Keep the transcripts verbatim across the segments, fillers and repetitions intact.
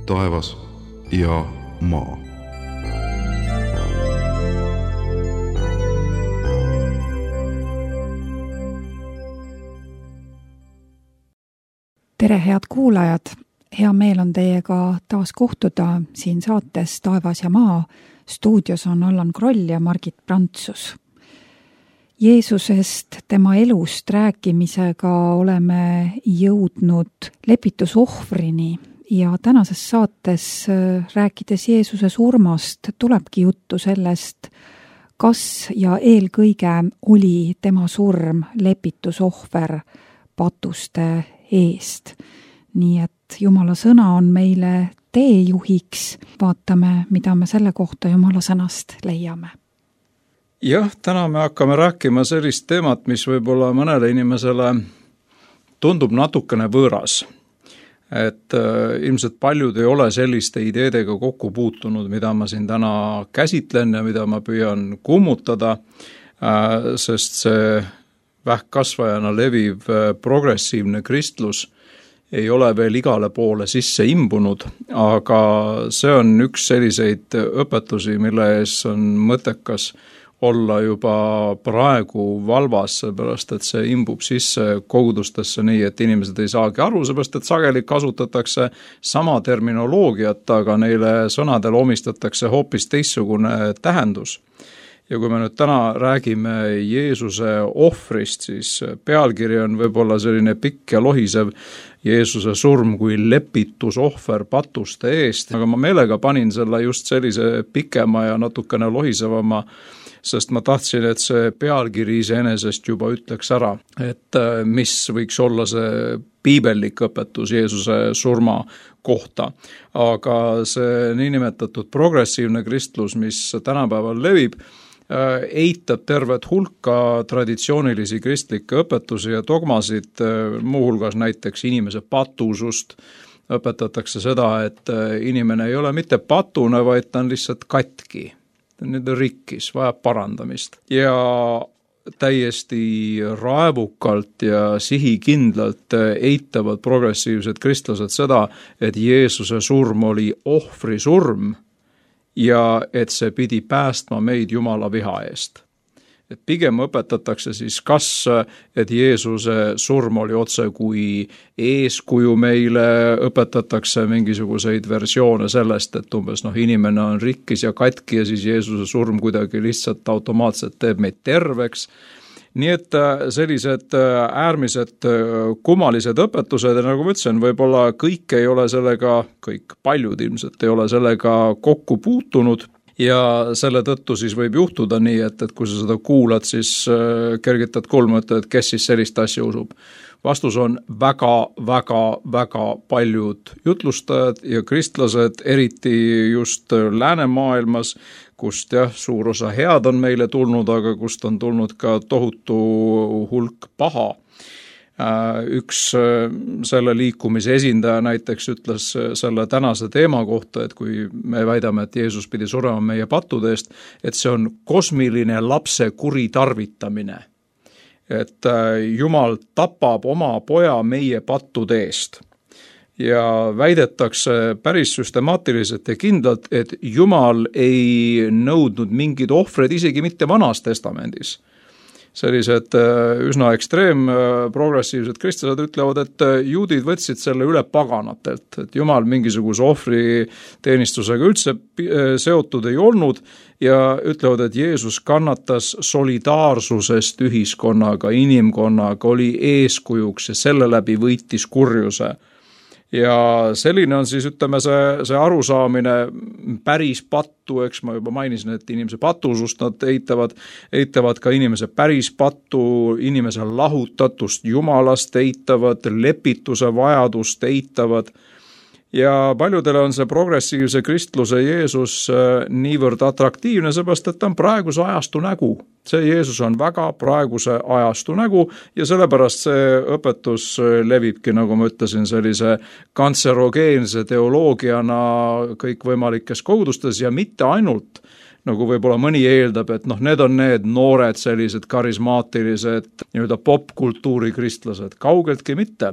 taevas ja maa. Tere, head kuulajad! Hea meel on teiega taas kohtuda siin saates Taevas ja maa. Stuudios on Allan Kroll ja Margit Prantsus. Jeesusest, tema elust rääkimisega oleme jõudnud lepitusohvrini ja tänases saates rääkides Jeesuse surmast tulebki juttu sellest, kas ja eelkõige oli tema surm lepitusohver patuste eest. Nii et Jumala sõna on meile teejuhiks. Vaatame, mida me selle kohta Jumala sõnast leiame. Jah, täna me hakkame rääkima sellist teemat, mis võib-olla mõnele inimesele tundub natukene võõras. Et äh, ilmselt paljud ei ole selliste ideedega kokku puutunud, mida ma siin täna käsitlen ja mida ma püüan kummutada, äh, sest see vähkkasvajana leviv äh, progressiivne kristlus ei ole veel igale poole sisse imbunud, aga see on üks selliseid õpetusi, mille ees on mõttekas olla juba praegu valvas, seepärast et see imbub sisse kogudustesse nii, et inimesed ei saagi aru, seepärast et sageli kasutatakse sama terminoloogiat, aga neile sõnadele omistatakse hoopis teistsugune tähendus. Ja kui me nüüd täna räägime Jeesuse ohvrist, siis pealkiri on võib-olla selline pikk ja lohisev Jeesuse surm kui lepitusohver patuste eest, aga ma meelega panin selle just sellise pikema ja natukene lohisevama, sest ma tahtsin, et see pealkiri iseenesest juba ütleks ära, et mis võiks olla see piibellik õpetus Jeesuse surma kohta. Aga see niinimetatud progressiivne kristlus, mis tänapäeval levib, eitab tervet hulka traditsioonilisi kristlikke õpetusi ja dogmasid, muuhulgas näiteks inimese patusust. Õpetatakse seda, et inimene ei ole mitte patune, vaid ta on lihtsalt katki. Ta on nüüd rikkis, vajab parandamist. Ja täiesti raevukalt ja sihikindlalt eitavad progressiivsed kristlased seda, et Jeesuse surm oli ohvri surm, ja et see pidi päästma meid Jumala viha eest. Et pigem õpetatakse siis kas, et Jeesuse surm oli otse kui eeskuju meile, õpetatakse mingisuguseid versioone sellest, et umbes noh, inimene on rikkis ja katki ja siis Jeesuse surm kuidagi lihtsalt automaatselt teeb meid terveks. Nii et sellised äärmised kummalised õpetused, ja nagu ma ütlesin, võib-olla kõik ei ole sellega, kõik paljud ilmselt ei ole sellega kokku puutunud ja selle tõttu siis võib juhtuda nii, et, et kui sa seda kuulad, siis kergitad kulmu, et kes siis sellist asja usub. Vastus on väga, väga, väga paljud jutlustajad ja kristlased, eriti just läänemaailmas, kust jah, suur osa head on meile tulnud, aga kust on tulnud ka tohutu hulk paha. Üks selle liikumise esindaja näiteks ütles selle tänase teema kohta, et kui me väidame, et Jeesus pidi surema meie pattude eest, et see on kosmiline lapse kuritarvitamine. Et Jumal tapab oma poja meie pattude eest. Ja väidetakse päris süstemaatiliselt ja kindlalt, et Jumal ei nõudnud mingid ohvred isegi mitte Vanas testamendis. Sellised üsna ekstreem progressiivsed kristlased ütlevad, et juudid võtsid selle üle paganatelt, et Jumal mingisuguse ohvri teenistusega üldse seotud ei olnud ja ütlevad, et Jeesus kannatas solidaarsusest ühiskonnaga, inimkonnaga, oli eeskujuks ja selle läbi võitis kurjuse. Ja selline on siis, ütleme, see, see arusaamine päris pattu, eks ma juba mainisin, et inimese patusust nad eitavad, eitavad ka inimese päris pattu, inimese lahutatust Jumalast eitavad, lepituse vajadust eitavad. Ja paljudele on see progressiivse kristluse Jeesus niivõrd atraktiivne, seepärast, et ta on praeguse ajastu nägu. See Jeesus on väga praeguse ajastu nägu ja sellepärast see õpetus levibki, nagu ma ütlesin, sellise kantserogeense teoloogiana kõikvõimalikes kogudustes ja mitte ainult, nagu võib-olla mõni eeldab, et noh, need on need noored sellised karismaatilised nii-öelda popkultuuri kristlased, kaugeltki mitte.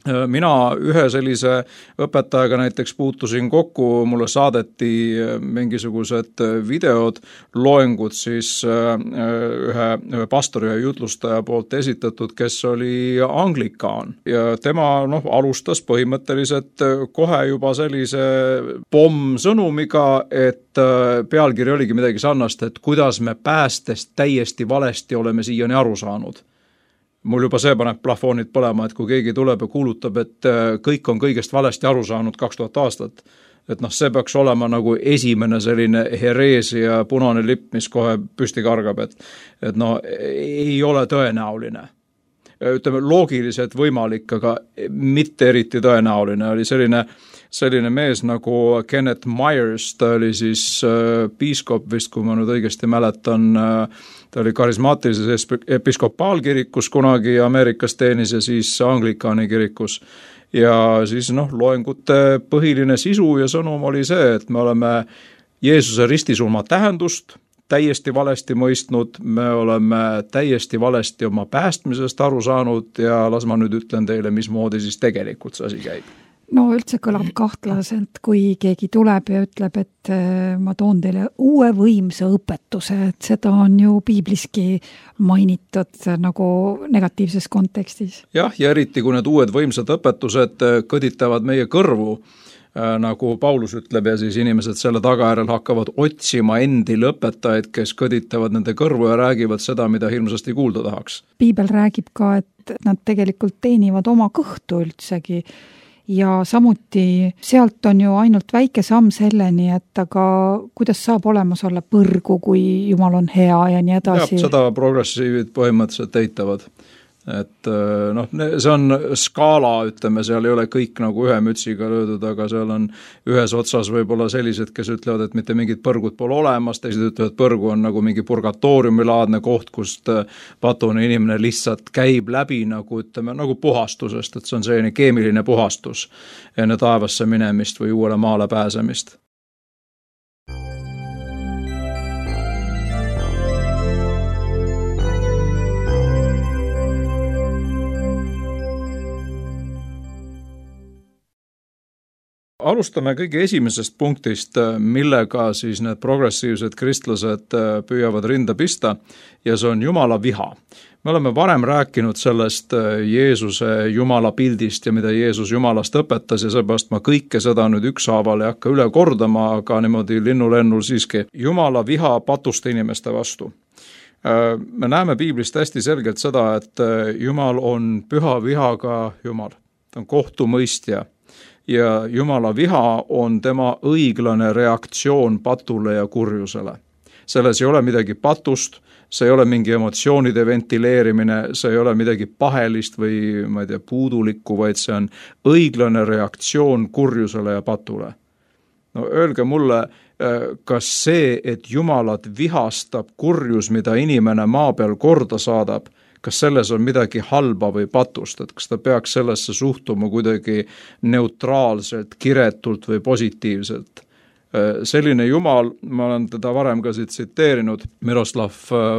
mina ühe sellise õpetajaga näiteks puutusin kokku, mulle saadeti mingisugused videod, loengud siis ühe, ühe pastori ja jutlustaja poolt esitatud, kes oli anglikaan. Ja tema noh, alustas põhimõtteliselt kohe juba sellise pomm-sõnumiga, et pealkiri oligi midagi sarnast, et kuidas me päästest täiesti valesti oleme siiani aru saanud. Mul juba see paneb plafoonid põlema, et kui keegi tuleb ja kuulutab, et kõik on kõigest valesti aru saanud kaks tuhat aastat, et noh, see peaks olema nagu esimene selline hereesia punane lipp, mis kohe püsti kargab, et, et no ei ole tõenäoline. Ütleme, loogiliselt võimalik, aga mitte eriti tõenäoline. Oli selline, selline mees nagu Kenneth Myers, ta oli siis äh, piiskop vist, kui ma nüüd õigesti mäletan, äh, ta oli karismaatilises episkopaalkirikus kunagi Ameerikas teenis ja siis anglikaani kirikus. Ja siis noh, loengute põhiline sisu ja sõnum oli see, et me oleme Jeesuse ristisurma tähendust täiesti valesti mõistnud, me oleme täiesti valesti oma päästmisest aru saanud ja las ma nüüd ütlen teile, mismoodi siis tegelikult see asi käib. No üldse kõlab kahtlaselt, kui keegi tuleb ja ütleb, et ma toon teile uue võimsa õpetuse, et seda on ju piibliski mainitud nagu negatiivses kontekstis. Jah, ja eriti kui need uued võimsad õpetused kõditavad meie kõrvu, nagu Paulus ütleb, ja siis inimesed selle tagajärel hakkavad otsima endil õpetajaid, kes kõditavad nende kõrvu ja räägivad seda, mida hirmsasti kuulda tahaks. Piibel räägib ka, et nad tegelikult teenivad oma kõhtu üldsegi. Ja samuti sealt on ju ainult väike samm selleni, et aga kuidas saab olemas olla põrgu, kui Jumal on hea ja nii edasi. Ja, seda progressiivid põhimõtteliselt eitavad. Et noh, see on skaala, ütleme, seal ei ole kõik nagu ühe mütsiga löödud, aga seal on ühes otsas võib-olla sellised, kes ütlevad, et mitte mingid põrgud pole olemas, teised ütlevad, et põrgu on nagu mingi purgatooriumilaadne koht, kust patune inimene lihtsalt käib läbi nagu, ütleme, nagu puhastusest, et see on selline keemiline puhastus enne taevasse minemist või uuele maale pääsemist. Alustame kõige esimesest punktist, millega siis need progressiivsed kristlased püüavad rinda pista ja see on Jumala viha. Me oleme varem rääkinud sellest Jeesuse Jumala pildist ja mida Jeesus Jumalast õpetas ja seepärast ma kõike seda nüüd ükshaaval ei hakka üle kordama, aga niimoodi linnulennul siiski Jumala viha patuste inimeste vastu. Me näeme piiblist hästi selgelt seda, et Jumal on püha vihaga Jumal, ta on kohtumõistja. Ja Jumala viha on tema õiglane reaktsioon patule ja kurjusele. Selles ei ole midagi patust, see ei ole mingi emotsioonide ventileerimine, see ei ole midagi pahelist või ma ei tea, puudulikku, vaid see on õiglane reaktsioon kurjusele ja patule. No öelge mulle, kas see, et Jumalat vihastab kurjus, mida inimene maa peal korda saadab, kas selles on midagi halba või patust, et kas ta peaks sellesse suhtuma kuidagi neutraalselt, kiretult või positiivselt. Selline Jumal, ma olen teda varem ka siit tsiteerinud, Miroslav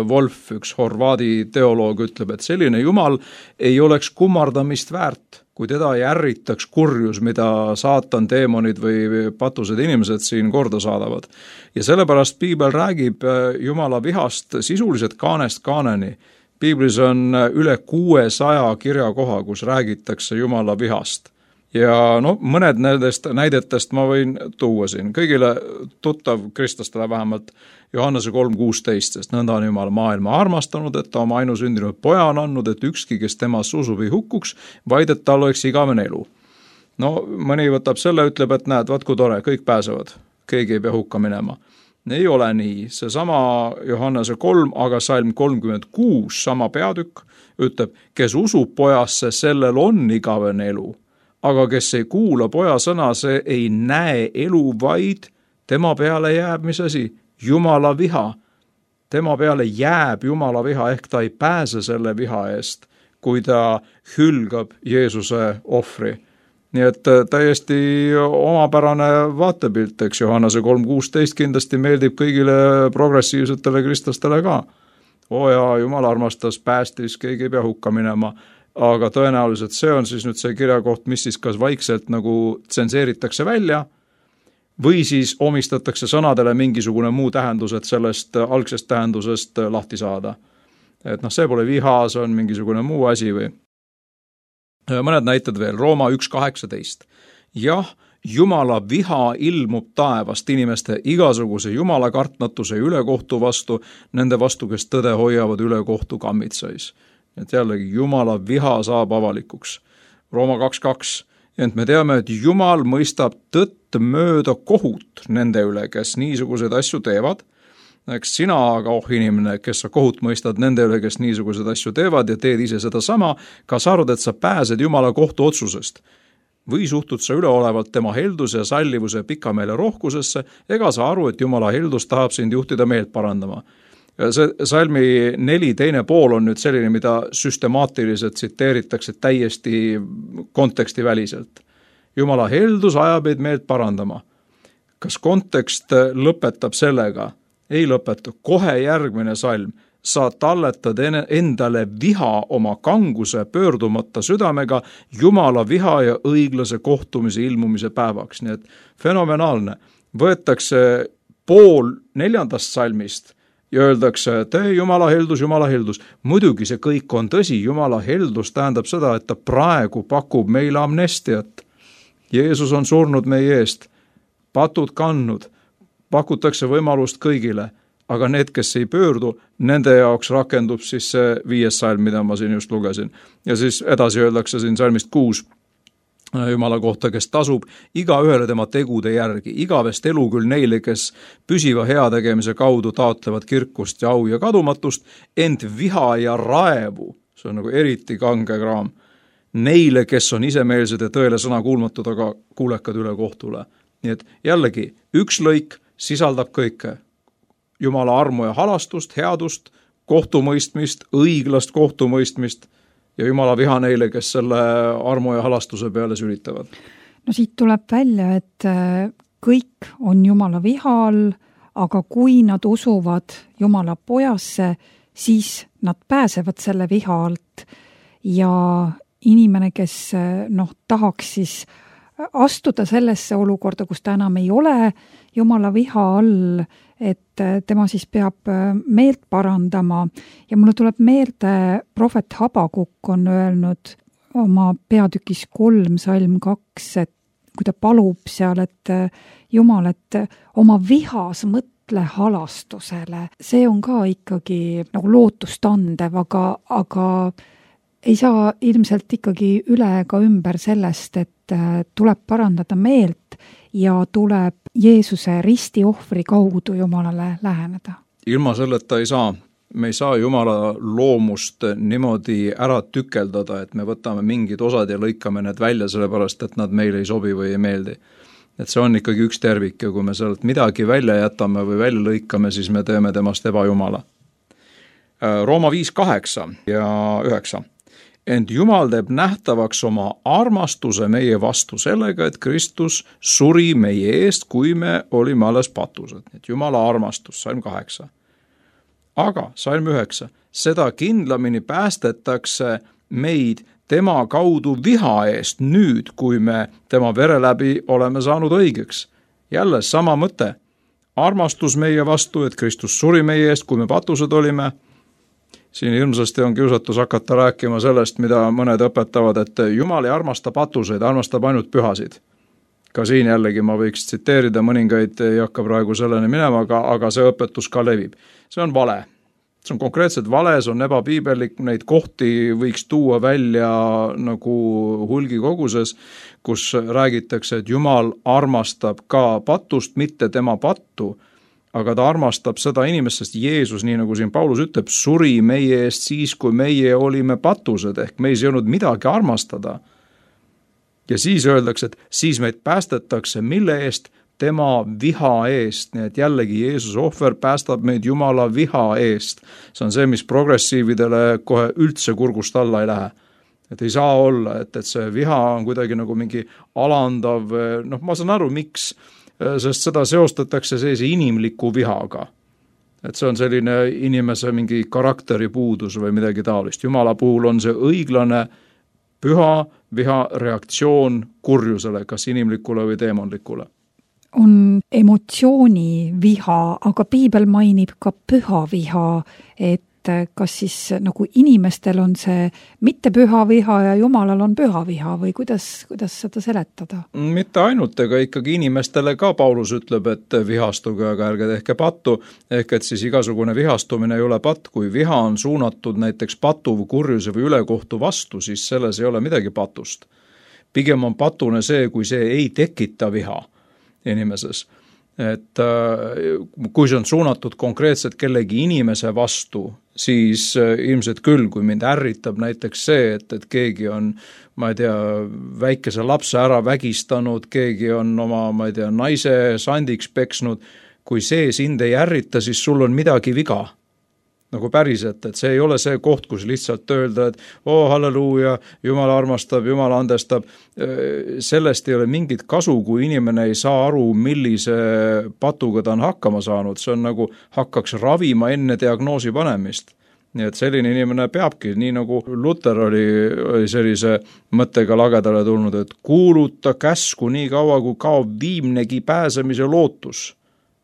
Volf, üks horvaadi teoloog, ütleb, et selline Jumal ei oleks kummardamist väärt, kui teda ei ärritaks kurjus, mida saatan, teemonid või patused inimesed siin korda saadavad. Ja sellepärast piibel räägib Jumala vihast sisuliselt kaanest kaaneni. Piiblis on üle kuuesaja kirjakoha, kus räägitakse Jumala vihast. Ja no, mõned nendest näidetest ma võin tuua siin. Kõigile tuttav kristlastele vähemalt Johannese kolm kuusteist, sest nõnda on Jumal maailma armastanud, et ta oma ainusündinud poja on andnud, et ükski, kes temas usub ei hukkuks, vaid et tal oleks igavene elu. No mõni võtab selle, ütleb, et näed, vaat kui tore, kõik pääsevad, keegi ei pea hukka minema. Ei ole nii, see sama Johannese kolm, aga salm kolmkümmend kuus, sama peatükk, ütleb, kes usub pojasse, sellel on igavene elu, aga kes ei kuula poja sõna, see ei näe elu, vaid tema peale jääb, mis asi, Jumala viha. Tema peale jääb Jumala viha, ehk ta ei pääse selle viha eest, kui ta hülgab Jeesuse ohvri. Nii et täiesti omapärane vaatepilt, eks Johannese kolm kuusteist kindlasti meeldib kõigile progressiivsetele kristlastele ka. O ja Jumal armastas, päästis, keegi ei pea hukka minema. aga tõenäoliselt see on siis nüüd see kirjakoht, mis siis kas vaikselt nagu tsenseeritakse välja või siis omistatakse sõnadele mingisugune muu tähendus, et sellest algsest tähendusest lahti saada. Et noh, see pole viha, see on mingisugune muu asi või. Mõned näited veel, Rooma üks kaheksateist. Jah, Jumala viha ilmub taevast inimeste igasuguse jumalakartnatuse ülekohtu vastu, nende vastu, kes tõde hoiavad ülekohtu kammitsais. Et jällegi, Jumala viha saab avalikuks. Rooma kaks kaks. Ent me teame, et Jumal mõistab tõtt mööda kohut nende üle, kes niisuguseid asju teevad. Eks sina aga, oh inimene, kes sa kohut mõistad nende üle, kes niisuguseid asju teevad ja teed ise seda sama, kas arvad, et sa pääsed Jumala kohtu otsusest? Või suhtud sa üleolevalt tema helduse ja sallivuse pikameele rohkusesse, ega sa aru, et Jumala heldus tahab sind juhtida meelt parandama. See salmi neli teine pool on nüüd selline, mida süstemaatiliselt tsiteeritakse täiesti konteksti väliselt. Jumala heldus ajab meid meelt parandama. Kas kontekst lõpetab sellega? Ei lõpeta. Kohe järgmine salm. Sa talletad endale viha oma kanguse pöördumata südamega Jumala viha ja õiglase kohtumise ilmumise päevaks. Nii et fenomenaalne. Võetakse pool neljandast salmist ja öeldakse, et ei, Jumala heldus, Jumala heldus. Muidugi see kõik on tõsi. Jumala heldus tähendab seda, et ta praegu pakub meile amnestiat. Jeesus on surnud meie eest, patud kandnud, pakutakse võimalust kõigile. Aga need, kes ei pöördu, nende jaoks rakendub siis see viies salm, mida ma siin just lugesin. Ja siis edasi öeldakse siin salmist kuus Jumala kohta, kes tasub iga ühele tema tegude järgi. Igavest elu küll neile, kes püsiva heategemise kaudu taotlevad kirkust ja au ja kadumatust, ent viha ja raevu, see on nagu eriti kange kraam, neile, kes on isemeelsed ja tõele sõna kuulmatud, aga kuulekad üle kohtule. Nii et jällegi, üks lõik sisaldab kõike. Jumala armu ja halastust, headust, kohtumõistmist, õiglast kohtumõistmist ja Jumala viha neile, kes selle armu ja halastuse peale sülitavad. No siit tuleb välja, et kõik on Jumala viha all, aga kui nad usuvad Jumala pojasse, siis nad pääsevad selle viha alt ja inimene, kes noh, tahaks siis astuda sellesse olukorda, kus ta enam ei ole Jumala viha all, et tema siis peab meelt parandama ja mulle tuleb meelde, prohvet Habakuk on öelnud oma peatükis kolm salm kaks, et kui ta palub seal, et Jumal, et oma vihas mõtle halastusele, see on ka ikkagi nagu lootustandev, aga, aga ei saa ilmselt ikkagi üle ega ümber sellest, et tuleb parandada meelt ja tuleb Jeesuse ristiohvri kaudu Jumalale läheneda. Ilma selleta ei saa. Me ei saa Jumala loomust niimoodi ära tükeldada, et me võtame mingid osad ja lõikame need välja, sellepärast et nad meile ei sobi või ei meeldi. Et see on ikkagi üks tervik ja kui me sealt midagi välja jätame või välja lõikame, siis me teeme temast ebajumala. Rooma viis kaheksa ja üheksa. Ent Jumal teeb nähtavaks oma armastuse meie vastu sellega, et Kristus suri meie eest, kui me olime alles patused. Et Jumala armastus, salm kaheksa. Aga, salm üheksa, seda kindlamini päästetakse meid tema kaudu viha eest nüüd, kui me tema vere läbi oleme saanud õigeks. Jälle sama mõte. Armastus meie vastu, et Kristus suri meie eest, kui me patused olime. Siin ilmsesti on kiusatus hakata rääkima sellest, mida mõned õpetavad, et Jumal ei armasta patuseid, armastab ainult pühasid. Ka siin jällegi ma võiks tsiteerida, mõningaid ei hakka praegu selleni minema, aga, aga see õpetus ka levib. See on vale. See on konkreetselt vale, see on ebapiibellik, neid kohti võiks tuua välja nagu hulgi koguses, kus räägitakse, et Jumal armastab ka patust, mitte tema pattu, aga ta armastab seda inimest, sest Jeesus, nii nagu siin Paulus ütleb, suri meie eest siis, kui meie olime patused, ehk meis ei olnud midagi armastada. Ja siis öeldakse, et siis meid päästetakse, mille eest? Tema viha eest, nii et jällegi Jeesus ohver päästab meid Jumala viha eest. See on see, mis progressiividele kohe üldse kurgust alla ei lähe. Et ei saa olla, et, et see viha on kuidagi nagu mingi alandav, noh ma saan aru, miks, sest seda seostatakse sellise inimliku vihaga. et see on selline inimese mingi karakteri puudus või midagi taolist. Jumala puhul on see õiglane, püha viha reaktsioon kurjusele, kas inimlikule või teemonlikule. On emotsiooni viha, aga piibel mainib ka püha viha, et kas siis nagu inimestel on see mitte püha viha ja Jumalal on püha viha või kuidas, kuidas seda seletada? Mitte ainult, ega ikkagi inimestele ka Paulus ütleb, et vihastuge, aga ärge tehke pattu, ehk et siis igasugune vihastumine ei ole patt. Kui viha on suunatud näiteks patu või kurjuse või ülekohtu vastu, siis selles ei ole midagi patust. Pigem on patune see, kui see ei tekita viha inimeses. Et kui see on suunatud konkreetselt kellegi inimese vastu, siis ilmselt küll, kui mind ärritab näiteks see, et, et keegi on, ma ei tea, väikese lapse ära vägistanud, keegi on oma, ma ei tea, naise sandiks peksnud, kui see sind ei ärrita, siis sul on midagi viga. Nagu päriselt, et see ei ole see koht, kus lihtsalt öelda, et oo, halleluuja, Jumal armastab, Jumal andestab. Sellest ei ole mingit kasu, kui inimene ei saa aru, millise patuga ta on hakkama saanud. See on nagu hakkaks ravima enne diagnoosi panemist. Nii et selline inimene peabki, nii nagu Luther oli, oli sellise mõttega lagedale tulnud, et kuuluta käsku nii kaua, kui kaob viimnegi pääsemise lootus.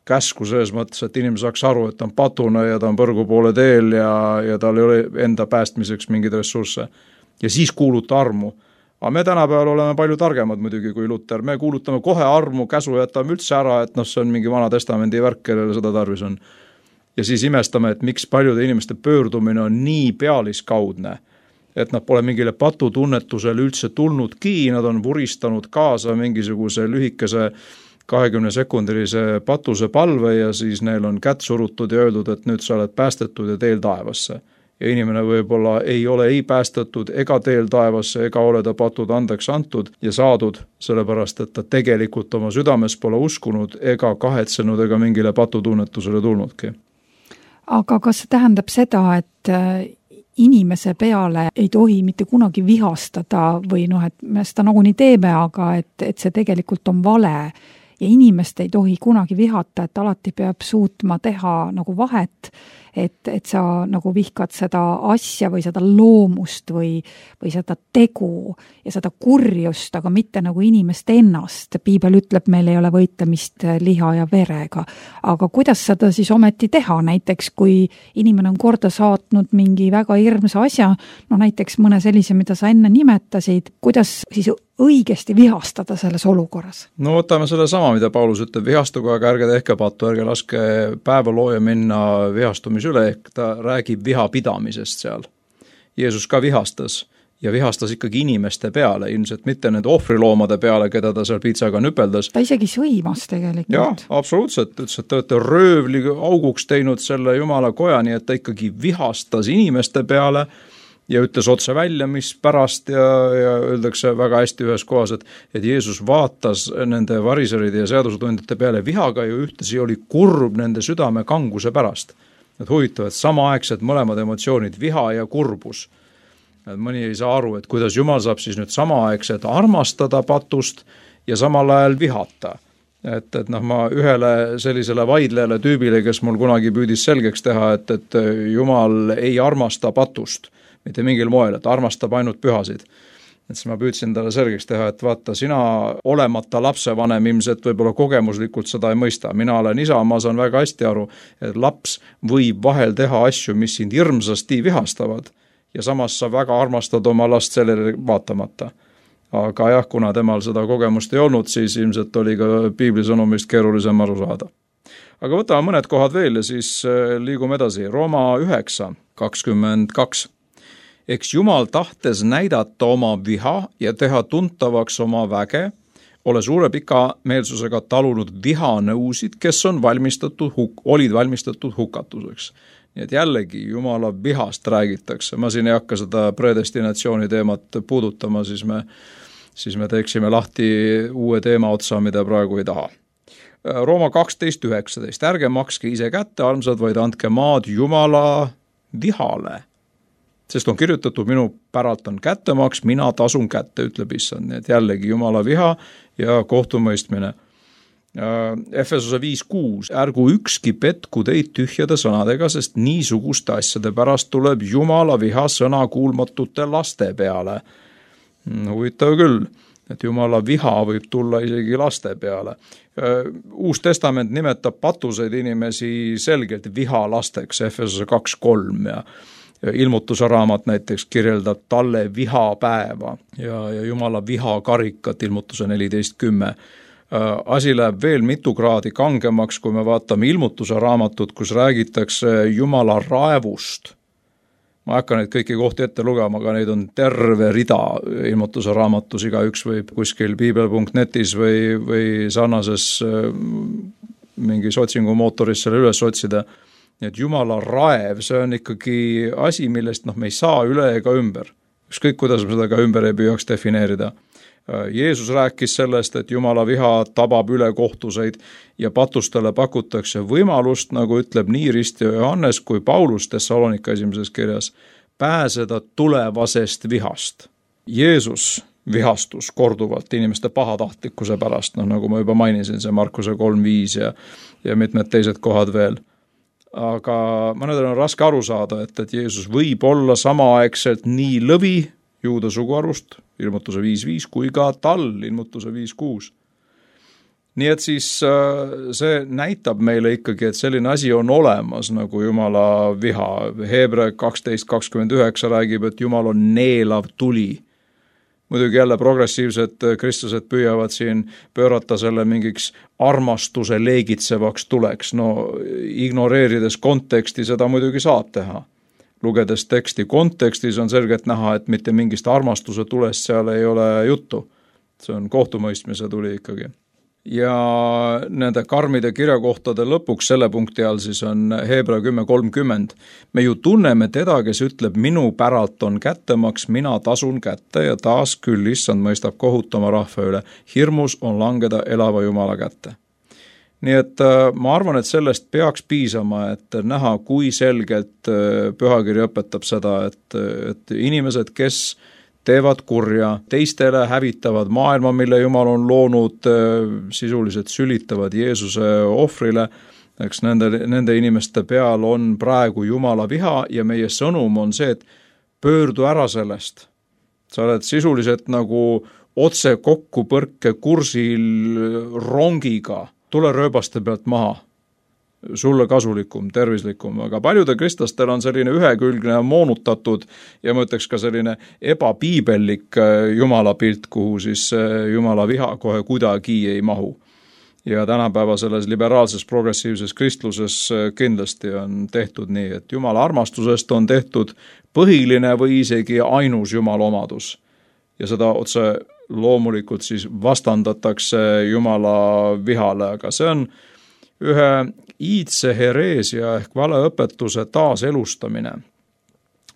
Käsku selles mõttes, et inimene saaks aru, et ta on patune ja ta on põrgu poole teel ja, ja tal ei ole enda päästmiseks mingeid ressursse. Ja siis kuuluta armu. Aga me tänapäeval oleme palju targemad muidugi kui Luther. Me kuulutame kohe armu, käsu jätame üldse ära, et noh, see on mingi vana testamendi värk, kellele seda tarvis on. Ja siis imestame, et miks paljude inimeste pöördumine on nii pealiskaudne, et nad pole mingile patutunnetusele üldse tulnudki, nad on vuristanud kaasa mingisuguse lühikese kahekümne sekundilise patuse palve ja siis neil on kätt surutud ja öeldud, et nüüd sa oled päästetud ja teel taevasse. Ja inimene võib-olla ei ole ei päästetud ega teel taevasse ega ole ta patud andeks antud ja saadud, sellepärast et ta tegelikult oma südames pole uskunud ega kahetsenud ega mingile patutunnetusele tulnudki. Aga kas see tähendab seda, et inimese peale ei tohi mitte kunagi vihastada või noh, et me seda nagunii teeme, aga et, et see tegelikult on vale ja inimest ei tohi kunagi vihata, et alati peab suutma teha nagu vahet, et, et sa nagu vihkad seda asja või seda loomust või, või seda tegu ja seda kurjust, aga mitte nagu inimest ennast. Piibel ütleb, meil ei ole võitlemist liha ja verega. Aga kuidas seda siis ometi teha? Näiteks kui inimene on korda saatnud mingi väga hirmsa asja, no näiteks mõne sellise, mida sa enne nimetasid, kuidas siis õigesti vihastada selles olukorras? No võtame selle sama, mida Paulus ütleb, vihastuga, aga ärge tehke pattu, ärge laske päeva looja minna vihastumis üle, ehk ta räägib vihapidamisest seal. Jeesus ka vihastas ja vihastas ikkagi inimeste peale, ilmselt mitte nende ohvriloomade peale, keda ta seal piitsaga nüpeldas. Ta isegi sõimas tegelikult. Jah, absoluutselt, ütles, et te olete röövli auguks teinud selle Jumala koja, nii et ta ikkagi vihastas inimeste peale ja ütles otse välja, mis pärast ja, ja öeldakse väga hästi ühes kohas, et, et Jeesus vaatas nende variseride ja seadusetundjate peale vihaga ja ühtesi oli kurb nende südame kanguse pärast. Et huvitav, et samaaegselt mõlemad emotsioonid, viha ja kurbus. Et mõni ei saa aru, et kuidas Jumal saab siis nüüd samaaegselt armastada patust ja samal ajal vihata. Et, et noh, ma ühele sellisele vaidlejale tüübile, kes mul kunagi püüdis selgeks teha, et, et Jumal ei armasta patust, mitte mingil moel, et armastab ainult pühasid. Et siis ma püüdsin talle selgeks teha, et vaata, sina olemata lapsevanem ilmselt võib-olla kogemuslikult seda ei mõista. Mina olen isa, ma saan väga hästi aru, et laps võib vahel teha asju, mis sind hirmsasti vihastavad ja samas sa väga armastad oma last sellele vaatamata. Aga jah, kuna temal seda kogemust ei olnud, siis ilmselt oli ka piiblisõnumist keerulisem aru saada. Aga võtame mõned kohad veel ja siis liigume edasi. Rooma üheksa kakskümmend kaks. Eks Jumal tahtes näidata oma viha ja teha tuntavaks oma väge, ole suure pika meelsusega talunud vihanõusid, kes on valmistatud, huk- olid valmistatud hukatuseks. Nii et jällegi Jumala vihast räägitakse. Ma siin ei hakka seda predestinatsiooni teemat puudutama, siis me, siis me teeksime lahti uue teema otsa, mida praegu ei taha. Rooma kaksteist üheksateist. Ärge makske ise kätte, armsad, vaid andke maad Jumala vihale. Sest on kirjutatud, minu päralt on kättemaks, mina tasun kätte, ütleb issand. Nii et jällegi Jumala viha ja kohtumõistmine. Efesose viis kuus, ärgu ükski petku teid tühjade sõnadega, sest niisuguste asjade pärast tuleb Jumala viha sõnakuulmatute laste peale. Huvitav küll, et Jumala viha võib tulla isegi laste peale. Uus testament nimetab patuseid inimesi selgelt vihalasteks, Efesose kaks kolm ja ilmutuse raamat näiteks kirjeldab talle vihapäeva ja, ja Jumala vihakarikat, ilmutuse neliteist kümme. Asi läheb veel mitu kraadi kangemaks, kui me vaatame ilmutuse raamatut, kus räägitakse Jumala raevust. Ma ei hakka neid kõiki kohti ette lugema, aga neid on terve rida ilmutuse raamatus, igaüks võib kuskil piibel punkt netis või, või sarnases mingis otsingumootoris selle üles otsida. Et Jumala raev, see on ikkagi asi, millest noh, me ei saa üle ega ümber. Ükskõik, kuidas me seda ka ümber ei püüaks defineerida. Jeesus rääkis sellest, et Jumala viha tabab üle kohtuseid ja patustele pakutakse võimalust, nagu ütleb nii Ristio Johannes kui Paulus Thessalonika esimeses kirjas, pääseda tulevasest vihast. Jeesus vihastus korduvalt inimeste pahatahtlikkuse pärast, no nagu ma juba mainisin, see Markuse kolm viis ja, ja mitmed teised kohad veel. Aga mõnedel on raske aru saada, et, et Jeesus võib olla samaaegselt nii lõvi Juuda suguarvust, ilmutuse viis viis, kui ka tal, ilmutuse viis kuus. Nii et siis see näitab meile ikkagi, et selline asi on olemas nagu Jumala viha. Heebrea kaksteist kakskümmend üheksa räägib, et Jumal on neelav tuli. Muidugi jälle progressiivsed kristlased püüavad siin pöörata selle mingiks armastuse leegitsevaks tuleks. No ignoreerides konteksti seda muidugi saab teha. Lugedes teksti kontekstis on selgelt näha, et mitte mingist armastuse tulest seal ei ole juttu. See on kohtumõistmise tuli ikkagi. Ja nende karmide kirjakohtade lõpuks selle punkti all siis on Heebrea kümme kolmkümmend. Me ju tunneme teda, kes ütleb, minu päralt on kättemaks, mina tasun kätte ja taas küll issand mõistab kohutama rahva üle. Hirmus on langeda elava Jumala kätte. Nii et ma arvan, et sellest peaks piisama, et näha, kui selgelt pühakiri õpetab seda, et, et inimesed, kes teevad kurja, teistele hävitavad maailma, mille Jumal on loonud, sisuliselt sülitavad Jeesuse ohvrile, eks nende, nende inimeste peal on praegu Jumala viha ja meie sõnum on see, et pöördu ära sellest. Sa oled sisuliselt nagu otse kokku põrke kursil rongiga, tule rööbaste pealt maha, sulle kasulikum, tervislikum, aga paljude kristlastel on selline ühekülgne moonutatud ja ma ütleks ka selline ebapiibellik Jumala pilt, kuhu siis Jumala viha kohe kuidagi ei mahu. Ja tänapäeva selles liberaalses progressiivses kristluses kindlasti on tehtud nii, et Jumala armastusest on tehtud põhiline või isegi ainus Jumala omadus. Ja seda otse loomulikult siis vastandatakse Jumala vihale, aga see on ühe iidse hereesia ehk valeõpetuse taaselustamine.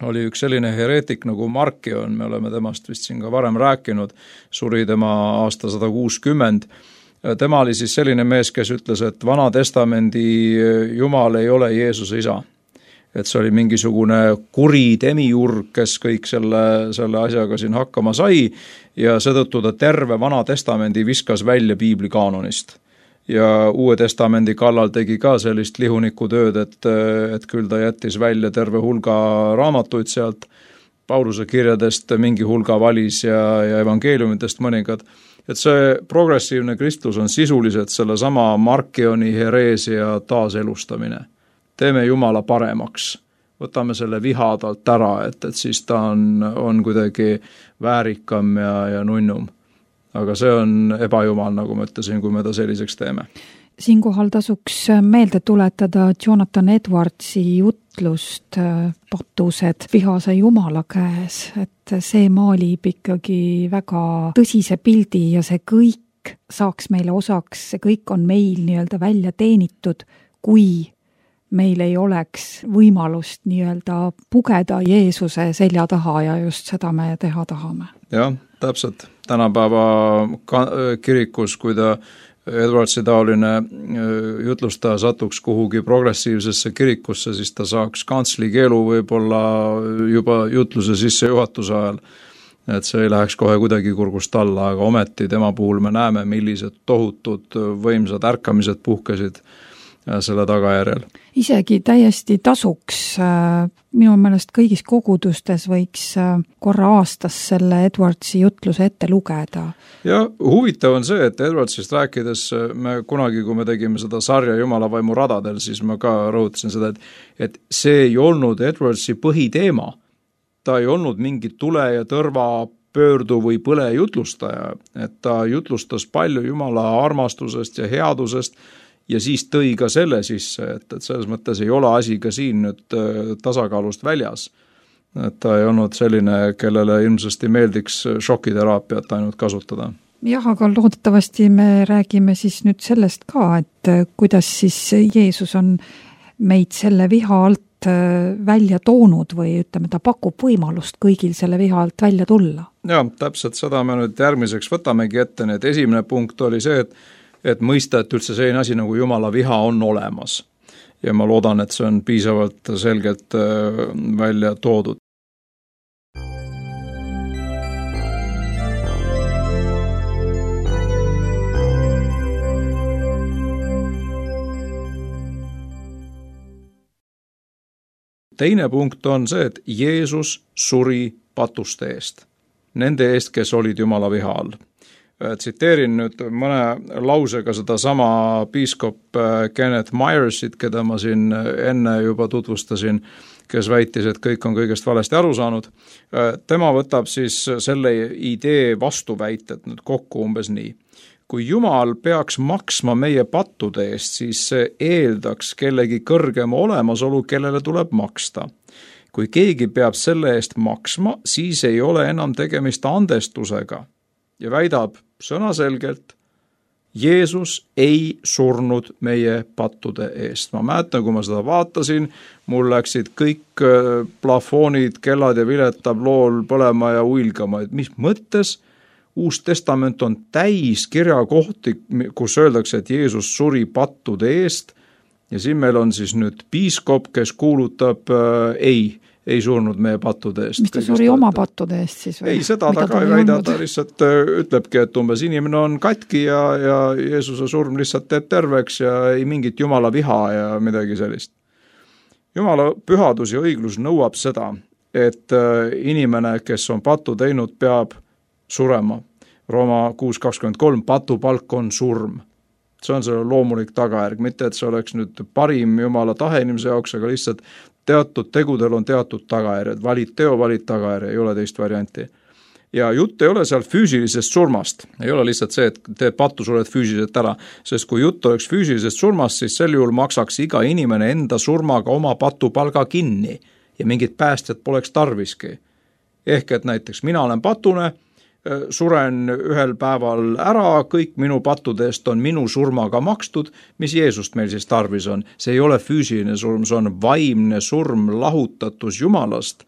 Oli üks selline hereetik nagu Markion, me oleme temast vist siin ka varem rääkinud, suri tema aasta sada kuuskümmend. Tema oli siis selline mees, kes ütles, et Vana Testamendi Jumal ei ole Jeesuse isa. Et see oli mingisugune kuri demiurg, kes kõik selle, selle asjaga siin hakkama sai ja seetõttu ta terve Vana Testamendi viskas välja piibli kaanonist. Ja Uue Testamendi kallal tegi ka sellist lihuniku tööd, et, et küll ta jättis välja terve hulga raamatuid sealt, Pauluse kirjadest mingi hulga valis ja, ja evangeeliumitest mõningad. Et see progressiivne kristlus on sisuliselt selle sama Markioni hereesia taaselustamine. Teeme Jumala paremaks, võtame selle viha talt ära, et, et siis ta on, on kuidagi väärikam ja, ja nunnum. Aga see on ebajumal, nagu ma ütlesin, kui me ta selliseks teeme. Siinkohal tasuks meelde tuletada Jonathan Edwardsi jutlust Patused vihase Jumala käes, et see maalib ikkagi väga tõsise pildi ja see kõik saaks meile osaks, see kõik on meil nii-öelda välja teenitud, kui meil ei oleks võimalust nii-öelda pugeda Jeesuse selja taha ja just seda me teha tahame. Jah, täpselt. Tänapäeva kirikus, kui ta Edwardsi taoline jutlustaja satuks kuhugi progressiivsesse kirikusse, siis ta saaks kantsli keelu võib-olla juba jutluse sisse juhatuse ajal. et see ei läheks kohe kuidagi kurgust alla, aga ometi tema puhul me näeme, millised tohutud võimsad ärkamised puhkesid selle tagajärjel. Isegi täiesti tasuks, minu meelest kõigis kogudustes võiks korra aastas selle Edwardsi jutluse ette lugeda. Ja huvitav on see, et Edwardsist rääkides me kunagi, kui me tegime seda sarja Jumala vaimu radadel, siis ma ka rõhutasin seda, et, et see ei olnud Edwardsi põhiteema. Ta ei olnud mingi tule ja tõrva pöördu või põle jutlustaja, et ta jutlustas palju Jumala armastusest ja headusest ja siis tõi ka selle sisse, et, et selles mõttes ei ole asi ka siin nüüd tasakaalust väljas. Et ta ei olnud selline, kellele ilmsesti meeldiks šokiteraapiat ainult kasutada. Jah, aga loodetavasti me räägime siis nüüd sellest ka, et kuidas siis Jeesus on meid selle viha alt välja toonud või ütleme, ta pakub võimalust kõigil selle viha alt välja tulla. Ja, täpselt seda me nüüd järgmiseks võtamegi ette, nii et esimene punkt oli see, et et mõista, et üldse selline asi nagu Jumala viha on olemas. Ja ma loodan, et see on piisavalt selgelt välja toodud. Teine punkt on see, et Jeesus suri patuste eest. Nende eest, kes olid Jumala viha all. Tsiteerin nüüd mõne lausega seda sama piiskop Kenneth Myersit, keda ma siin enne juba tutvustasin, kes väitis, et kõik on kõigest valesti aru saanud. Tema võtab siis selle idee vastuväited nüüd kokku umbes nii. Kui Jumal peaks maksma meie pattude eest, siis see eeldaks kellegi kõrgema olemasolu, kellele tuleb maksta. Kui keegi peab selle eest maksma, siis ei ole enam tegemist andestusega. Ja väidab sõnaselgelt, Jeesus ei surnud meie pattude eest. Ma mäletan, kui ma seda vaatasin, mul läksid kõik plafoonid, kellad ja viletablool põlema ja uilgama, et mis mõttes Uus Testament on täis kirjakohti, kus öeldakse, et Jeesus suri pattude eest ja siin meil on siis nüüd piiskop, kes kuulutab äh, ei. ei surnud meie pattude eest. Mis ta suri oma pattude eest siis? Või? Ei, seda ta ka ei väida, ta lihtsalt ütlebki, et umbes inimene on katki ja, ja Jeesuse surm lihtsalt teeb terveks ja ei mingit Jumala viha ja midagi sellist. Jumala pühadus ja õiglus nõuab seda, et inimene, kes on patu teinud, peab surema. Rooma kuus kakskümmend kolm, patupalk on surm. See on selle loomulik tagajärg, mitte et see oleks nüüd parim Jumala tahe inimese jaoks, aga lihtsalt teatud tegudel on teatud tagajärjed, valid teo, valid tagajärje, ei ole teist varianti. Ja jutt ei ole seal füüsilisest surmast, ei ole lihtsalt see, et teed pattu, sured füüsiliselt ära, sest kui jutt oleks füüsilisest surmast, siis sel juhul maksaks iga inimene enda surmaga oma patupalga kinni ja mingit päästjat poleks tarviski. Ehk et näiteks mina olen patune, suren ühel päeval ära, kõik minu pattude eest on minu surmaga makstud, mis Jeesust meil siis tarvis on. See ei ole füüsiline surm, see on vaimne surm, lahutatus Jumalast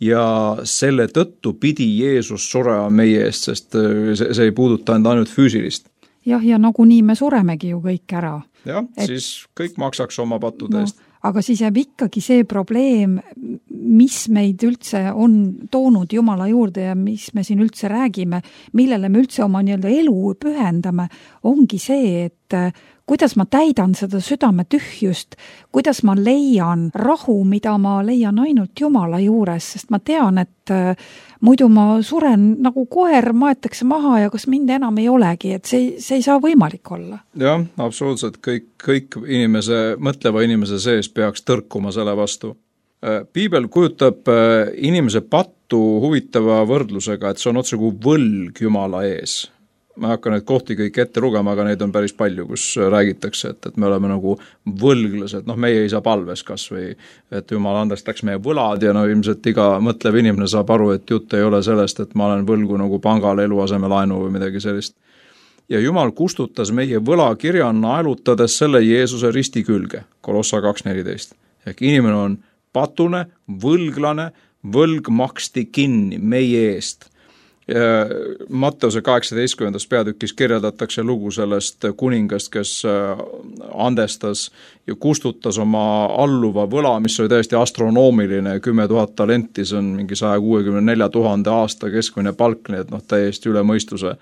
ja selle tõttu pidi Jeesus surema meie eest, sest see, see ei puuduta ainult füüsilist. Jah, ja nagunii me suremegi ju kõik ära. Jah, et... siis kõik maksaks oma pattude eest. No, aga siis jääb ikkagi see probleem, mis meid üldse on toonud Jumala juurde ja mis me siin üldse räägime, millele me üldse oma nii-öelda elu pühendame, ongi see, et kuidas ma täidan seda südame tühjust, kuidas ma leian rahu, mida ma leian ainult Jumala juures, sest ma tean, et muidu ma suren nagu koer, maetakse maha ja kas mind enam ei olegi, et see, see ei saa võimalik olla. Jah, absoluutselt, kõik, kõik inimese, mõtleva inimese sees peaks tõrkuma selle vastu. Piibel kujutab inimese pattu huvitava võrdlusega, et see on otse kui võlg Jumala ees. Ma hakkan neid kohti kõik ette lugema, aga neid on päris palju, kus räägitakse, et, et me oleme nagu võlglased, noh meie ei saa palves kas või, et Jumal andestaks meie võlad ja no ilmselt iga mõtlev inimene saab aru, et jutt ei ole sellest, et ma olen võlgu nagu pangale eluaseme laenu või midagi sellist. Ja Jumal kustutas meie võlakirja naelutades selle Jeesuse risti külge, Kolossa kaks neliteist. Ehk inimene on patune, võlglane, võlg maksti kinni meie eest. Matteuse kaheksateistkümnendas peatükis kirjeldatakse lugu sellest kuningast, kes andestas ja kustutas oma alluva võla, mis oli täiesti astronoomiline, kümme tuhat talenti, see on mingi saja kuuekümne nelja tuhande aasta keskmine palk, nii et noh, täiesti üle mõistuse.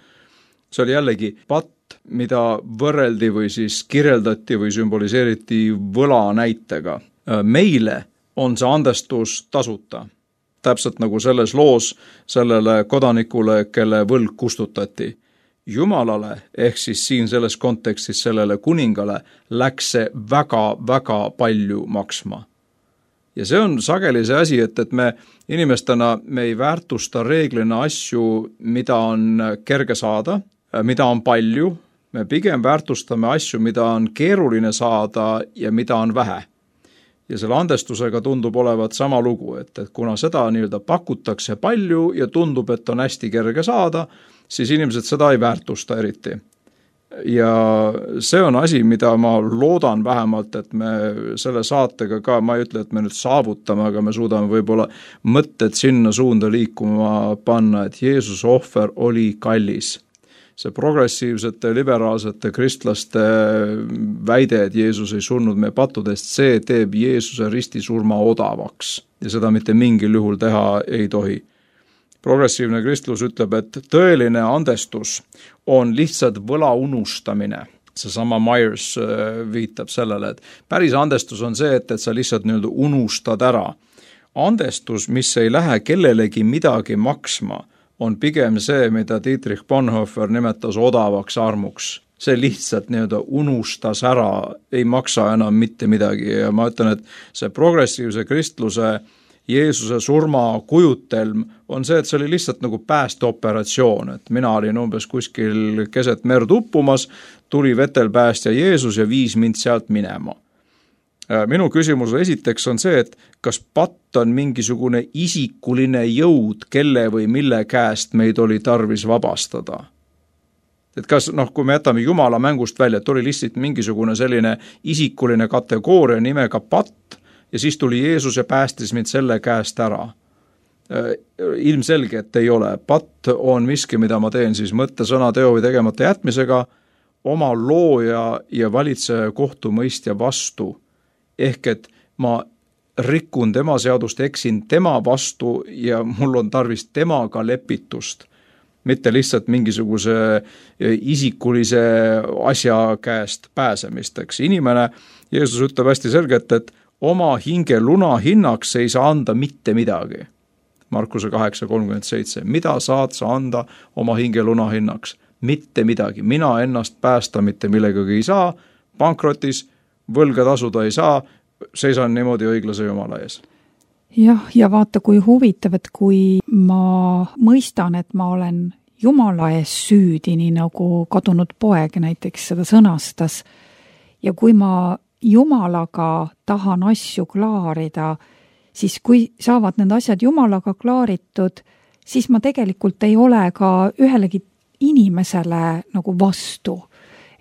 See oli jällegi patt, mida võrreldi või siis kirjeldati või sümboliseeriti võla näitega. Meile on see andestus tasuta. Täpselt nagu selles loos sellele kodanikule, kelle võlg kustutati. Jumalale, ehk siis siin selles kontekstis sellele kuningale, läks see väga-väga palju maksma. Ja see on sageli see asi, et, et me inimestena me ei väärtusta reeglina asju, mida on kerge saada, mida on palju, me pigem väärtustame asju, mida on keeruline saada ja mida on vähe. Ja selle andestusega tundub olevat sama lugu, et, et kuna seda nii-öelda pakutakse palju ja tundub, et on hästi kerge saada, siis inimesed seda ei väärtusta eriti. Ja see on asi, mida ma loodan vähemalt, et me selle saatega ka, ma ei ütle, et me nüüd saavutame, aga me suudame võib-olla mõtted sinna suunda liikuma panna, et Jeesuse ohver oli kallis. See progressiivsete, liberaalsete kristlaste väide, et Jeesus ei surnud meie pattudest, see teeb Jeesuse ristisurma odavaks ja seda mitte mingil juhul teha ei tohi. Progressiivne kristlus ütleb, et tõeline andestus on lihtsalt võla unustamine. Seesama Myers viitab sellele, et päris andestus on see, et, et sa lihtsalt nii-öelda unustad ära. Andestus, mis ei lähe kellelegi midagi maksma, on pigem see, mida Dietrich Bonhoeffer nimetas odavaks armuks. See lihtsalt nii-öelda unustas ära, ei maksa enam mitte midagi ja ma ütlen, et see progressiivse kristluse Jeesuse surma kujutelm on see, et see oli lihtsalt nagu päästeoperatsioon, et mina olin umbes kuskil keset merd uppumas, tuli vetel päästja Jeesus ja viis mind sealt minema. Minu küsimus esiteks on see, et kas patt on mingisugune isikuline jõud, kelle või mille käest meid oli tarvis vabastada. Et kas, noh, kui me jätame Jumala mängust välja, et oli lihtsalt mingisugune selline isikuline kategooria nimega patt ja siis tuli Jeesus ja päästis mind selle käest ära. Ilmselge, et ei ole. Patt on miski, mida ma teen siis mõtte, sõna, teo või tegemata jätmisega oma looja ja valitseja kohtumõistja vastu. Ehk et ma rikun tema seadust, eksin tema vastu ja mul on tarvis temaga lepitust, mitte lihtsalt mingisuguse isikulise asja käest pääsemisteks. Inimene, Jeesus ütleb hästi selgelt, et oma hinge luna hinnaks ei saa anda mitte midagi. Markuse kaheksa kolmkümmend seitse. Mida saad sa anda oma hinge luna hinnaks? Mitte midagi. Mina ennast päästa mitte millegagi ei saa, pankrotis, võlga tasuda ei saa, seisan niimoodi õiglase Jumala ees. Jah, ja vaata, kui huvitav, et kui ma mõistan, et ma olen Jumala ees süüdi, nii nagu kadunud poeg näiteks seda sõnastas, ja kui ma Jumalaga tahan asju klaarida, siis kui saavad need asjad Jumalaga klaaritud, siis ma tegelikult ei ole ka ühelegi inimesele nagu vastu.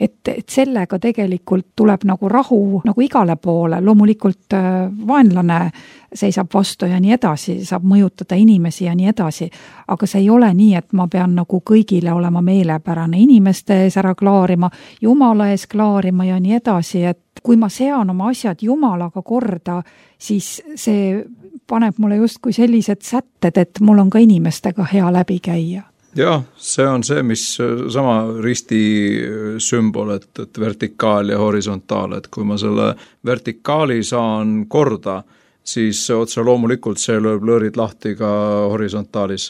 Et, et sellega tegelikult tuleb nagu rahu nagu igale poole, loomulikult vaenlane seisab vastu ja nii edasi, saab mõjutada inimesi ja nii edasi, aga see ei ole nii, et ma pean nagu kõigile olema meelepärane inimeste ees ära klaarima, Jumala ees klaarima ja nii edasi, et kui ma sean oma asjad Jumalaga korda, siis see paneb mulle justkui sellised sätted, et mul on ka inimestega hea läbi käia. Jah, see on see, mis sama risti sümbol, et, et vertikaal ja horisontaal, et kui ma selle vertikaali saan korda, siis otse loomulikult see lööb lõõrid lahti ka horisontaalis.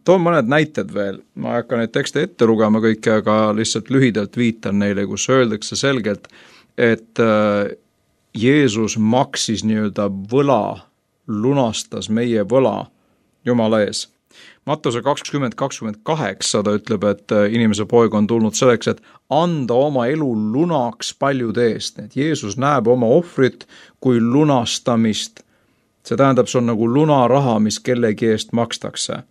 Toon mõned näited veel, ma ei hakka neid tekste ette lugema kõike, aga lihtsalt lühidalt viitan neile, kus öeldakse selgelt, et Jeesus maksis nii-öelda võla, lunastas meie võla Jumala ees. Mattuse kakskümmend kakskümmend kaheksa ta ütleb, et inimese poeg on tulnud selleks, et anda oma elu lunaks paljude eest. Et Jeesus näeb oma ohvrit kui lunastamist. See tähendab, see on nagu lunaraha, mis kellegi eest makstakse.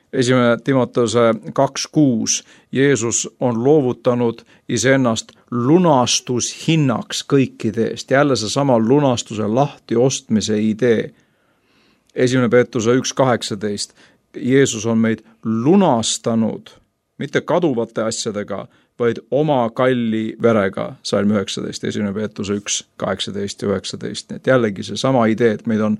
Esimene Timotuse kaks kuus. Jeesus on loovutanud iseennast lunastushinnaks kõikide eest. Jälle see sama lunastuse lahti ostmise idee. Esimene Peetruse üks kaheksateist. Jeesus on meid lunastanud, mitte kaduvate asjadega, vaid oma kalli verega, salm üheksateist, esimene Peetruse üks, kaheksateist ja üheksateist. Nii et jällegi see sama idee, et meid on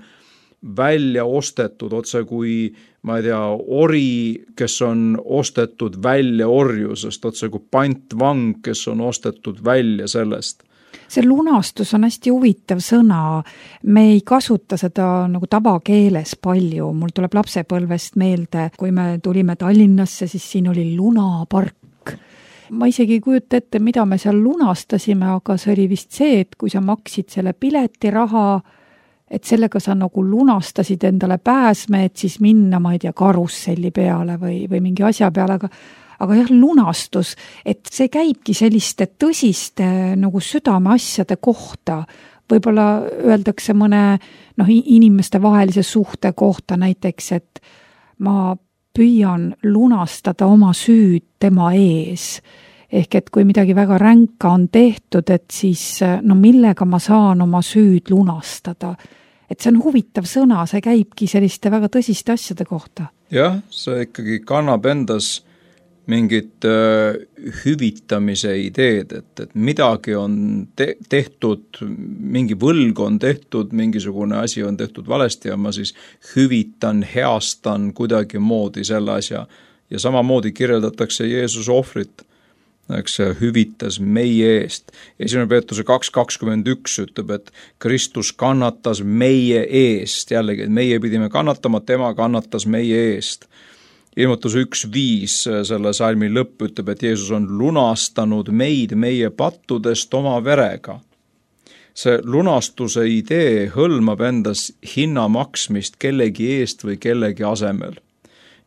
välja ostetud otse kui, ma ei tea, ori, kes on ostetud välja orjusest, otse kui pantvang, kes on ostetud välja sellest. See lunastus on hästi huvitav sõna. Me ei kasuta seda nagu tavakeeles palju. Mul tuleb lapsepõlvest meelde, kui me tulime Tallinnasse, siis siin oli lunapark. Ma isegi ei kujuta ette, mida me seal lunastasime, aga see oli vist see, et kui sa maksid selle piletiraha, et sellega sa nagu lunastasid endale pääsme, et siis minna, ma ei tea, karusselli peale või, või mingi asja peale, aga Aga jah, lunastus, et see käibki selliste tõsiste nagu südame asjade kohta. Võib-olla öeldakse mõne noh, inimeste vahelise suhte kohta näiteks, et ma püüan lunastada oma süüd tema ees. Ehk et kui midagi väga ränka on tehtud, et siis no millega ma saan oma süüd lunastada. Et see on huvitav sõna, see käibki selliste väga tõsiste asjade kohta. Jah, see ikkagi kannab endas mingit äh, hüvitamise ideed, et, et midagi on te- tehtud, mingi võlg on tehtud, mingisugune asi on tehtud valesti ja ma siis hüvitan, heastan kuidagi moodi selle asja. Ja samamoodi kirjeldatakse Jeesuse ohvrit, eks see hüvitas meie eest. esimene Peetruse kaks kakskümmend üks ütleb, et Kristus kannatas meie eest, jällegi, et meie pidime kannatama, tema kannatas meie eest. Ilmutus üks viis, selle salmi lõpp ütleb, et Jeesus on lunastanud meid meie pattudest oma verega. See lunastuse idee hõlmab endas hinna maksmist kellegi eest või kellegi asemel.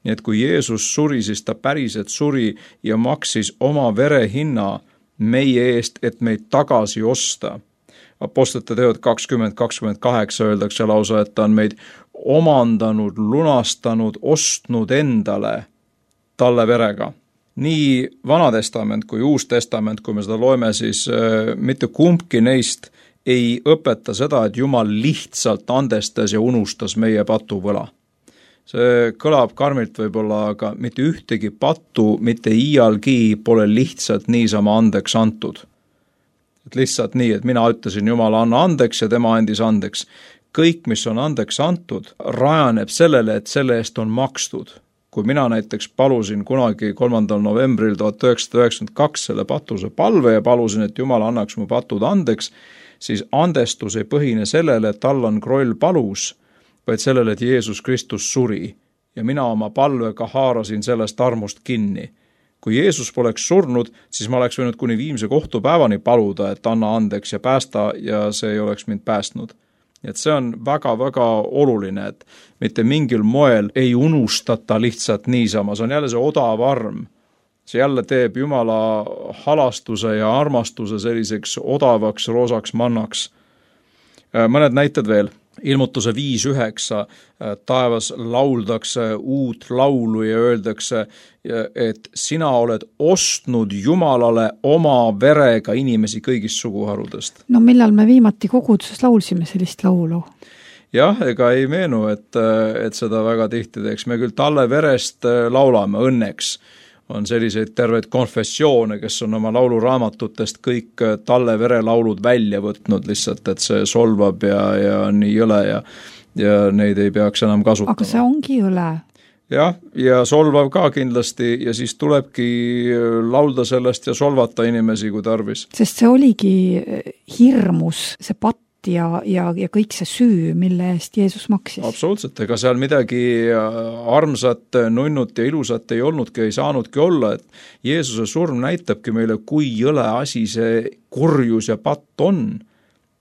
Nii et kui Jeesus suri, siis ta päriselt suri ja maksis oma vere hinna meie eest, et meid tagasi osta. Apostlite teod kakskümmend kakskümmend kaheksa öeldakse lausa, et ta on meid omandanud, lunastanud, ostnud endale talle verega. Nii Vana testament kui Uus testament, kui me seda loeme, siis äh, mitte kumbki neist ei õpeta seda, et Jumal lihtsalt andestas ja unustas meie patuvõla. See kõlab karmilt võib-olla, aga mitte ühtegi pattu, mitte iialgi pole lihtsalt niisama andeks antud. Et lihtsalt nii, et mina ütlesin Jumala anna andeks ja tema andis andeks. Kõik, mis on andeks antud, rajaneb sellele, et selle eest on makstud. Kui mina näiteks palusin kunagi kolmandal novembril tuhat üheksasada üheksakümmend kaks selle patuse palve ja palusin, et Jumal annaks mu patud andeks, siis andestus ei põhine sellele, et Allan Kroll palus, vaid sellele, et Jeesus Kristus suri ja mina oma palvega haarasin sellest armust kinni. Kui Jeesus poleks surnud, siis ma oleks võinud kuni viimse kohtupäevani paluda, et anna andeks ja päästa ja see ei oleks mind päästnud. Et see on väga-väga oluline, et mitte mingil moel ei unustata lihtsalt niisama. See on jälle see odav arm. See jälle teeb Jumala halastuse ja armastuse selliseks odavaks, roosaks mannaks. Mõned näited veel. Ilmutuse viis üheksa, taevas lauldakse uut laulu ja öeldakse, et sina oled ostnud Jumalale oma verega inimesi kõigist suguharudest. No millal me viimati koguduses laulsime sellist laulu? Jah, ega ei meenu, et, et seda väga tihti teeks. Me küll talle verest laulame õnneks. On selliseid terveid konfessioone, kes on oma lauluraamatutest kõik talle verelaulud välja võtnud lihtsalt, et see solvab ja, ja nii jõle ja, ja neid ei peaks enam kasutama. Aga see ongi jõle. Jah, ja solvav ka kindlasti ja siis tulebki laulda sellest ja solvata inimesi, kui tarvis. Sest see oligi hirmus, see patt ja, ja, ja kõik see süü, mille eest Jeesus maksis. Absoluutselt, ega seal midagi armsat, nunnut ja ilusat ei olnudki, ei saanudki olla, et Jeesuse surm näitabki meile, kui jõle asi see kurjus ja patt on.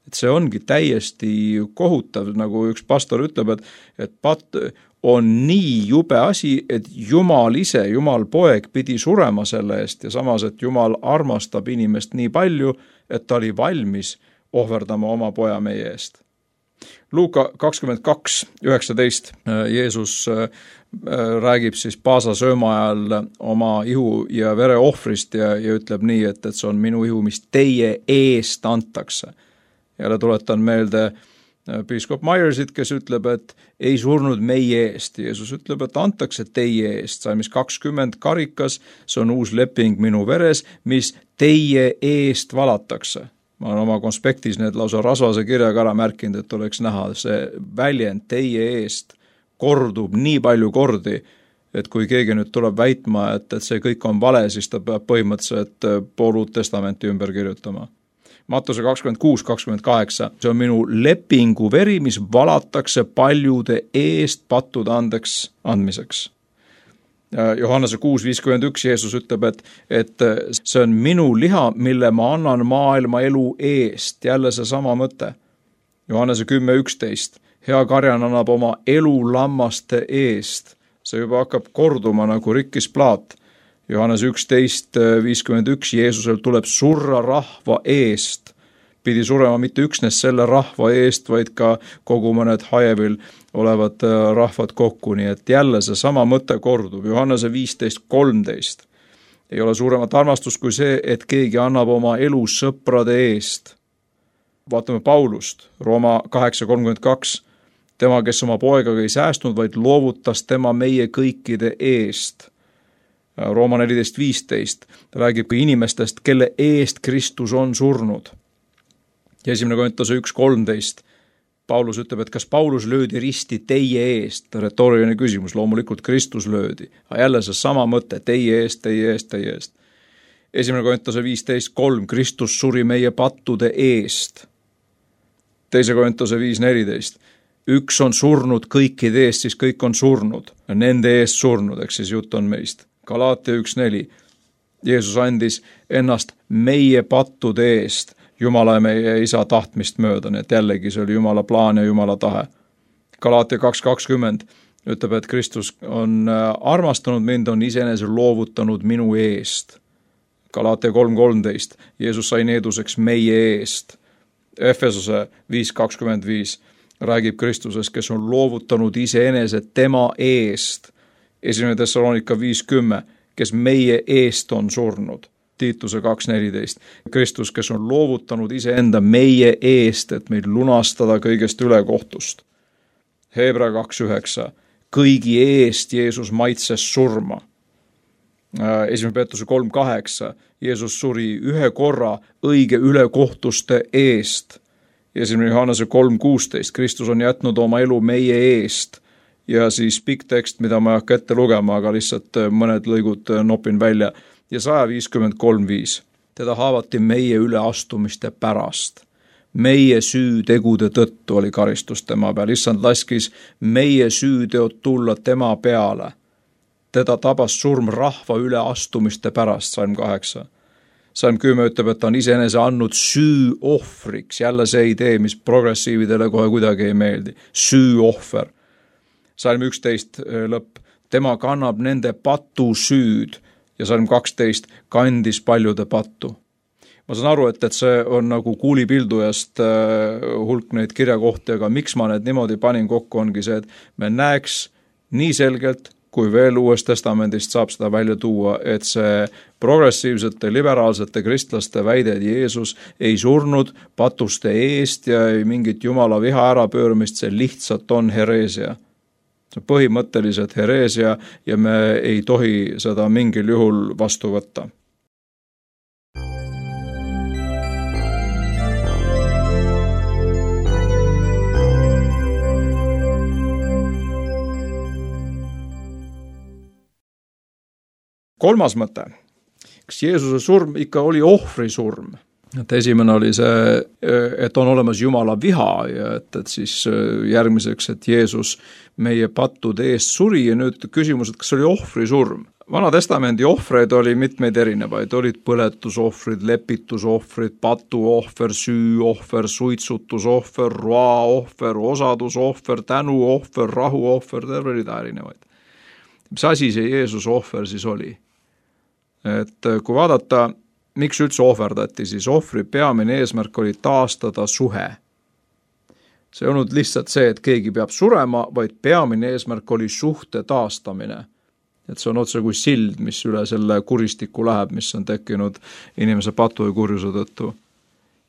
Et see ongi täiesti kohutav, nagu üks pastor ütleb, et, et patt on nii jube asi, et Jumal ise, Jumal poeg pidi surema selle eest ja samas, et Jumal armastab inimest nii palju, et ta oli valmis ohverdama oma poja meie eest. Luuka kakskümmend kaks üheksateist Jeesus räägib siis Paasa sööma ajal oma ihu ja vere ohvrist ja, ja ütleb nii, et, et see on minu ihu, mis teie eest antakse. Jälle tuletan meelde piiskop Myersit, kes ütleb, et ei surnud meie eest. Jeesus ütleb, et antakse teie eest. Salmis kakskümmend karikas, see on uus leping minu veres, mis teie eest valatakse. Ma olen oma konspektis need lausa rasvase kirjaga ära märkinud, et oleks näha, see väljend teie eest kordub nii palju kordi, et kui keegi nüüd tuleb väitma, et, et see kõik on vale, siis ta peab põhimõtteliselt pool uut testamenti ümber kirjutama. Mattuse kakskümmend kuus kakskümmend kaheksa, see on minu lepingu veri, mis valatakse paljude eest pattude andeks andmiseks. Johannese kuus viiskümmend üks Jeesus ütleb, et, et see on minu liha, mille ma annan maailma elu eest. Jälle see sama mõte. Johannese kümme üksteist, hea karjan annab oma elu lammaste eest. See juba hakkab korduma nagu rikkis plaat. Johannese üksteist viiskümmend üks Jeesusel tuleb surra rahva eest. Pidi surema mitte üksnes selle rahva eest, vaid ka kogu mõned hajevil olevad rahvad kokku, nii et jälle see sama mõte kordub. Johannese viisteist kolmteist. Ei ole suuremat armastust kui see, et keegi annab oma elu sõprade eest. Vaatame Paulust, Rooma kaheksa kolmkümmend kaks. Tema, kes oma poegaga ei säästnud, vaid loovutas tema meie kõikide eest. Rooma neliteist viisteist. Ta räägib ka inimestest, kelle eest Kristus on surnud. Ja esimene Korintuse üks kolmteist. Paulus ütleb, et kas Paulus löödi risti teie eest? Retooriline küsimus, loomulikult Kristus löödi. Aga jälle see sama mõte, teie eest, teie eest, teie eest. Esimene Korintuse viisteist kolm. Kristus suri meie pattude eest. Teise Korintuse viis neliteist. Üks on surnud kõikide eest, siis kõik on surnud. Nende eest surnud, eks siis jutt on meist. Galaatia üks neli. Jeesus andis ennast meie pattude eest, Jumala ja meie isa tahtmist mööda, nii et jällegi see oli Jumala plaan ja Jumala tahe. Galaatia kaks kakskümmend ütleb, et Kristus on armastanud mind, on iseenese loovutanud minu eest. Galaatia kolm kolmteist. Jeesus sai needuseks meie eest. Efesose viis kakskümmend viis räägib Kristusest, kes on loovutanud iseenese tema eest. Esimene Thessalonika viis kümme, kes meie eest on surnud. Tiituse kaks neliteist. Kristus, kes on loovutanud iseenda meie eest, et meid lunastada kõigest ülekohtust. Hebra kaks üheksa. Kõigi eest Jeesus maitses surma. Esimene Peetruse kolm kaheksa. Jeesus suri ühe korra õige ülekohtuste eest. Esimene Johannese kolm kuusteist. Kristus on jätnud oma elu meie eest. Ja siis pikk tekst, mida ma ei hakka ette lugema, aga lihtsalt mõned lõigud nopin välja. Ja saja viiskümmend kolm viis. Teda haavati meie üleastumiste pärast. Meie süütegude tõttu oli karistus tema peal. Issand laskis meie süüteod tulla tema peale. Teda tabas surm rahva üleastumiste pärast, salm kaheksa. Salm kümme ütleb, et ta on iseenese andnud süü ohvriks. Jälle see idee, mis progressiividele kohe kuidagi ei meeldi. Süü ohver. Salm üksteist lõpp. Tema kannab nende patu süüd. Ja salm kaksteist kandis paljude pattu. Ma saan aru, et, et see on nagu kuulipildujast äh, hulk neid kirjakohti, aga miks ma need niimoodi panin kokku, ongi see, et me näeks nii selgelt, kui veel Uuest Testamendist saab seda välja tuua, et see progressiivsete, liberaalsete kristlaste väide, et Jeesus ei surnud patuste eest ja ei mingit Jumala viha ärapööramist, see lihtsalt on hereesia. See on põhimõtteliselt hereesia ja me ei tohi seda mingil juhul vastu võtta. Kolmas mõte. Kas Jeesuse surm ikka oli ohvri surm? Et esimene oli see, et on olemas Jumala viha ja et, et siis järgmiseks, et Jeesus meie pattude eest suri ja nüüd küsimus, et kas oli ohvri surm. Vana testamendi ohvreid oli mitmeid erinevaid, olid põletusohvrid, lepitusohvrid, patuohver, süüohver, suitsutusohver, roaohver, osadusohver, tänuohver, rahuohver, terve rida erinevaid. Mis asi see Jeesuse ohver siis oli? Et kui vaadata, miks üldse ohverdati, siis ohvri peamine eesmärk oli taastada suhe. See ei olnud lihtsalt see, et keegi peab surema, vaid peamine eesmärk oli suhte taastamine. Et see on otse kui sild, mis üle selle kuristiku läheb, mis on tekkinud inimese patu ja kurjuse tõttu.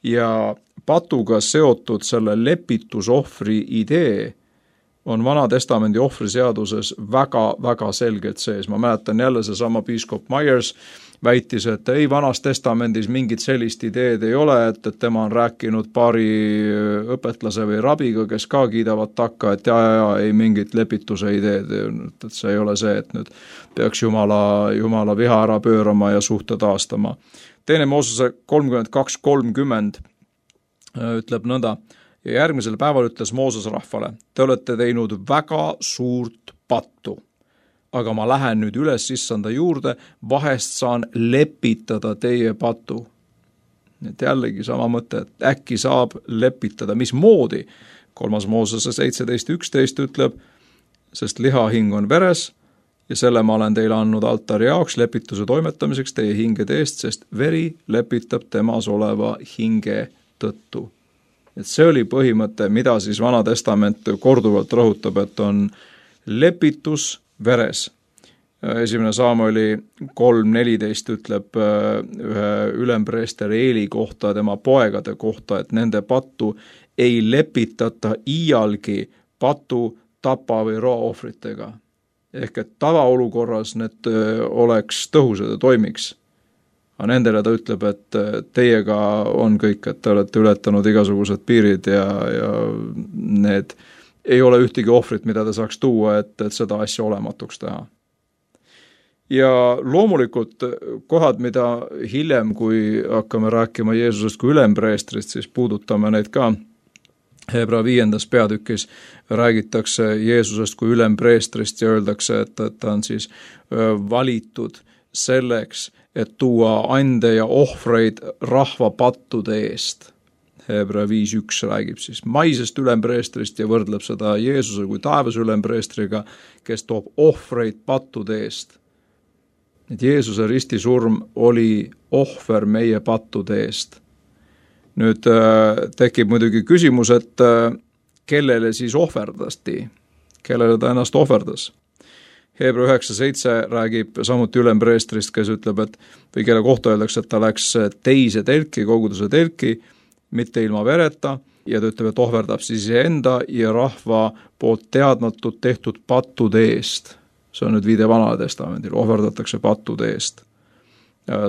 ja patuga seotud selle lepitusohvri idee on Vana-testamendi ohvriseaduses väga-väga selgelt sees. Ma mäletan jälle seesama piiskop Myers väitis, et ei, Vanas testamendis mingit sellist ideed ei ole, et, et tema on rääkinud paari õpetlase või rabiga, kes ka kiidavad takka, et ja, ja, ja ei mingit lepituse ideed, et see ei ole see, et nüüd peaks Jumala, Jumala viha ära pöörama ja suhte taastama. Teine Moosese kolmkümmend kaks kolmkümmend ütleb nõnda, ja järgmisel päeval ütles Mooses rahvale, te olete teinud väga suurt pattu, aga ma lähen nüüd üles issanda juurde, vahest saan lepitada teie patu. Et jällegi sama mõte, et äkki saab lepitada, mismoodi? Kolmas Moosese seitseteist üksteist ütleb, sest lihahing on veres ja selle ma olen teile andnud altari jaoks lepituse toimetamiseks teie hingede eest, sest veri lepitab temas oleva hinge tõttu. Et see oli põhimõte, mida siis Vana testament korduvalt rõhutab, et on lepitus veres. Esimene Samueli kolm neliteist ütleb ühe ülempreester Eeli kohta, tema poegade kohta, et nende pattu ei lepitata iialgi patu, tapa või roaohvritega. Ehk et tavaolukorras need oleks tõhusad ja toimiks. Aga nendele ta ütleb, et teiega on kõik, et te olete ületanud igasugused piirid ja, ja need ei ole ühtegi ohvrit, mida ta saaks tuua, et, et seda asja olematuks teha. Ja loomulikult kohad, mida hiljem, kui hakkame rääkima Jeesusest kui ülempreestrist, siis puudutame neid ka. Hebra viiendas peatükis räägitakse Jeesusest kui ülempreestrist ja öeldakse, et, et ta on siis valitud selleks, et tuua ande ja ohvreid rahva pattude eest. Hebra viis üks räägib siis maisest ülempreestrist ja võrdleb seda Jeesuse kui taevas ülempreestriga, kes toob ohvreid pattude eest. Et Jeesuse ristisurm oli ohver meie pattude eest. Nüüd äh, tekib muidugi küsimus, et äh, kellele siis ohverdasti, kellele ta ennast ohverdas. Hebra üheksa seitse räägib samuti ülempreestrist, kes ütleb, et või kelle kohta öeldakse, et ta läks teise telki, koguduse telki, mitte ilma vereta, ja ta ütleb, et ohverdab siis enda ja rahva poolt teadmatult tehtud pattude eest. See on nüüd viide Vanale testamendil, ohverdatakse pattude eest.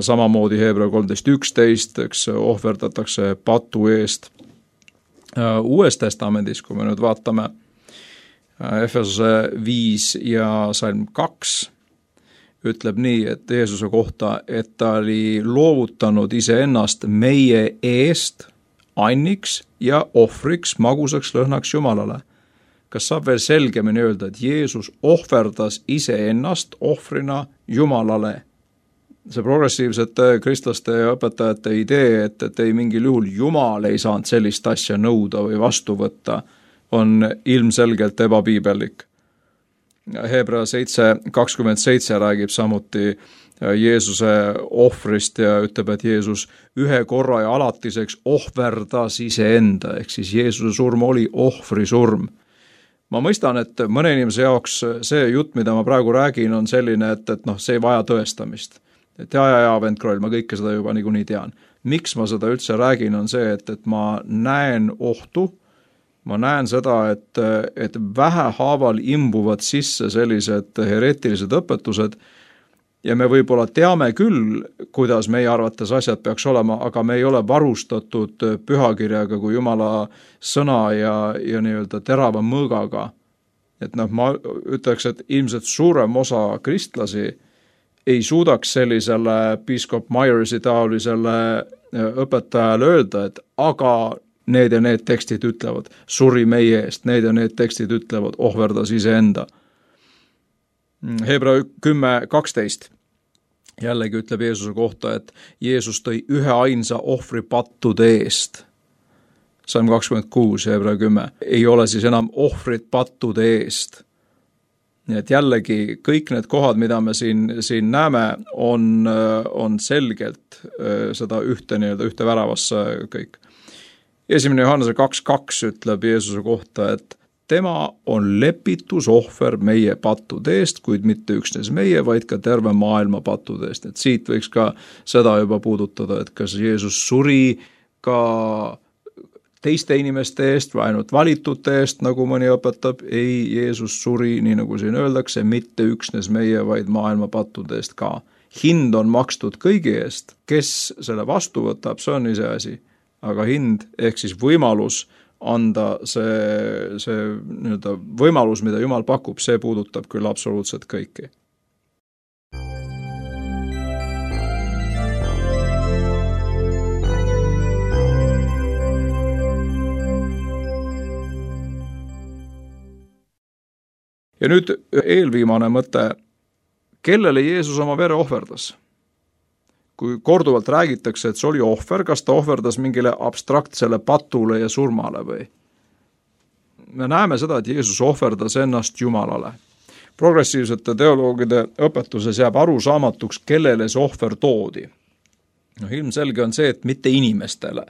Samamoodi Hebra kolmteist üksteist, eks ohverdatakse patu eest. Uues testamendis, kui me nüüd vaatame Efesose viis ja salm kaks, ütleb nii, et Jeesuse kohta, et ta oli loovutanud iseennast meie eest anniks ja ohvriks magusaks lõhnaks Jumalale. Kas saab veel selgemini öelda, et Jeesus ohverdas iseennast ohvrina Jumalale? See progressiivsete kristlaste ja õpetajate idee, et, et ei mingil juhul Jumal ei saanud sellist asja nõuda või vastu võtta, on ilmselgelt ebapiibellik. Hebra seitse kakskümmend seitse räägib samuti Jeesuse ohvrist ja ütleb, et Jeesus ühe korra ja alatiseks ohverdas iseenda, ehk siis Jeesuse surm oli ohvri surm. Ma mõistan, et mõne inimese jaoks see jutt, mida ma praegu räägin, on selline, et, et noh, see ei vaja tõestamist. Et ja, ja, ja, vend Kroll, ma kõike seda juba niikuinii tean. Miks ma seda üldse räägin, on see, et, et ma näen ohtu, ma näen seda, et, et vähehaaval imbuvad sisse sellised hereetilised õpetused ja me võib-olla teame küll, kuidas meie arvates asjad peaks olema, aga me ei ole varustatud pühakirjaga kui Jumala sõna ja, ja nii-öelda terava mõõgaga. Et noh, ma ütleks, et ilmselt suurem osa kristlasi ei suudaks sellisele piiskop Myersi taolisele õpetajale öelda, et aga need ja need tekstid ütlevad, suri meie eest, need ja need tekstid ütlevad, ohverdas iseenda. Hebra kümme kaksteist jällegi ütleb Jeesuse kohta, et Jeesus tõi ühe ainsa ohvri pattude eest. Salm kakskümmend kuus, Hebra kümme, ei ole siis enam ohvrit pattude eest. Nii et jällegi kõik need kohad, mida me siin, siin näeme, on, on selgelt seda ühte, nii-öelda ühte väravasse kõik. Esimene Johannese kaks kaks ütleb Jeesuse kohta, et tema on lepitusohver meie pattude eest, kuid mitte üksnes meie, vaid ka terve maailma pattude eest. Et siit võiks ka seda juba puudutada, et kas Jeesus suri ka teiste inimeste eest või ainult valitute eest, nagu mõni õpetab. Ei, Jeesus suri, nii nagu siin öeldakse, mitte üksnes meie, vaid maailma pattude eest ka. Hind on makstud kõigi eest, kes selle vastu võtab, see on ise asi. Aga hind ehk siis võimalus anda see, see nii-öelda võimalus, mida Jumal pakub, see puudutab küll absoluutselt kõiki. Ja nüüd eelviimane mõte, kellele Jeesus oma vere ohverdas? Kui korduvalt räägitakse, et see oli ohver, kas ta ohverdas mingile abstraktsele patule ja surmale või? Me näeme seda, et Jeesus ohverdas ennast Jumalale. Progressiivsete teoloogide õpetuses jääb arusaamatuks, kellele see ohver toodi. No, ilmselge on see, et mitte inimestele.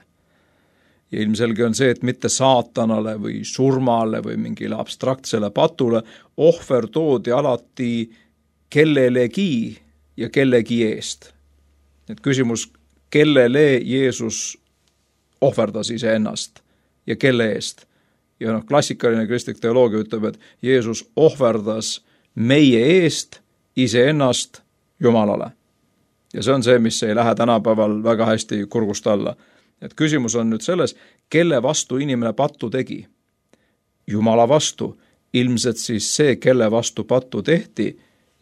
Ja ilmselge on see, et mitte saatanale või surmale või mingile abstraktsele patule. Ohver toodi alati kellelegi ja kellegi eest. Et küsimus, kellele Jeesus ohverdas iseennast ja kelle eest. Ja noh, klassikaline kristlik teoloogia ütleb, et Jeesus ohverdas meie eest iseennast Jumalale. Ja see on see, mis ei lähe tänapäeval väga hästi kurgust alla. Et küsimus on nüüd selles, kelle vastu inimene pattu tegi. Jumala vastu. Ilmselt siis see, kelle vastu pattu tehti,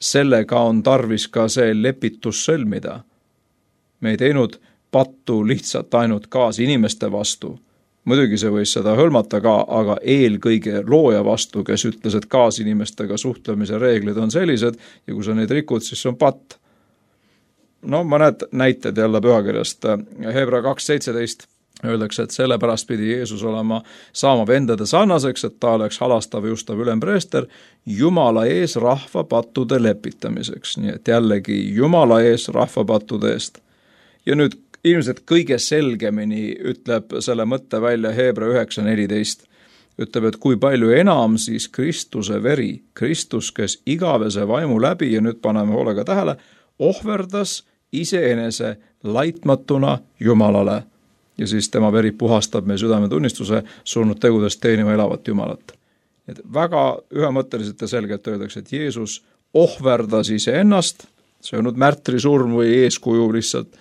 sellega on tarvis ka see lepitus sõlmida. Me ei teinud pattu lihtsalt ainult kaas inimeste vastu. Muidugi see võis seda hõlmata ka, aga eelkõige looja vastu, kes ütles, et kaas inimestega suhtlemise reeglid on sellised ja kui sa neid rikud, siis see on patt. No mõned näited jälle pühakirjast. Hebra kaks seitseteist öeldakse, et sellepärast pidi Jeesus olema saama vendade sarnaseks, et ta oleks halastav ja ustav ülempreester Jumala ees rahva pattude lepitamiseks. Nii et jällegi Jumala ees rahva pattude eest. Ja nüüd ilmselt kõige selgemini ütleb selle mõtte välja Hebra üheksa neliteist. Ütleb, et kui palju enam siis Kristuse veri, Kristus, kes igavese vaimu läbi, ja nüüd paneme hoolega tähele, ohverdas iseenese laitmatuna Jumalale. Ja siis tema veri puhastab meie südametunnistuse surnud tegudest teenima elavat Jumalat. Et väga ühemõtteliselt ja selgelt öeldakse, et Jeesus ohverdas iseennast, see on nüüd märtrisurm või eeskuju lihtsalt,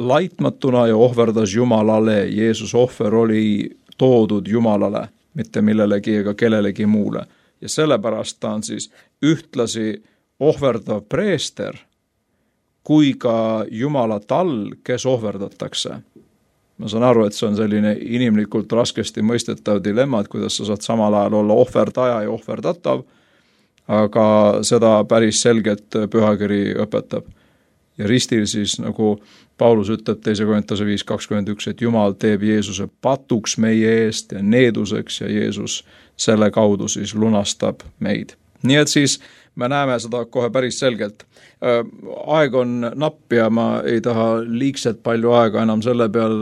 laitmatuna ja ohverdas Jumalale. Jeesus ohver oli toodud Jumalale, mitte millelegi ega kellelegi muule. Ja sellepärast ta on siis ühtlasi ohverdav preester, kui ka Jumala tall, kes ohverdatakse. Ma saan aru, et see on selline inimlikult raskesti mõistetav dilemma, et kuidas sa saad samal ajal olla ohverdaja ja ohverdatav, aga seda päris selgelt pühakiri õpetab. Ja ristil siis, nagu Paulus ütleb teise Korintuse viis kakskümmend üks, et Jumal teeb Jeesuse patuks meie eest ja needuseks ja Jeesus selle kaudu siis lunastab meid. Nii et siis me näeme seda kohe päris selgelt. Aeg on napp ja ma ei taha liigselt palju aega enam selle peal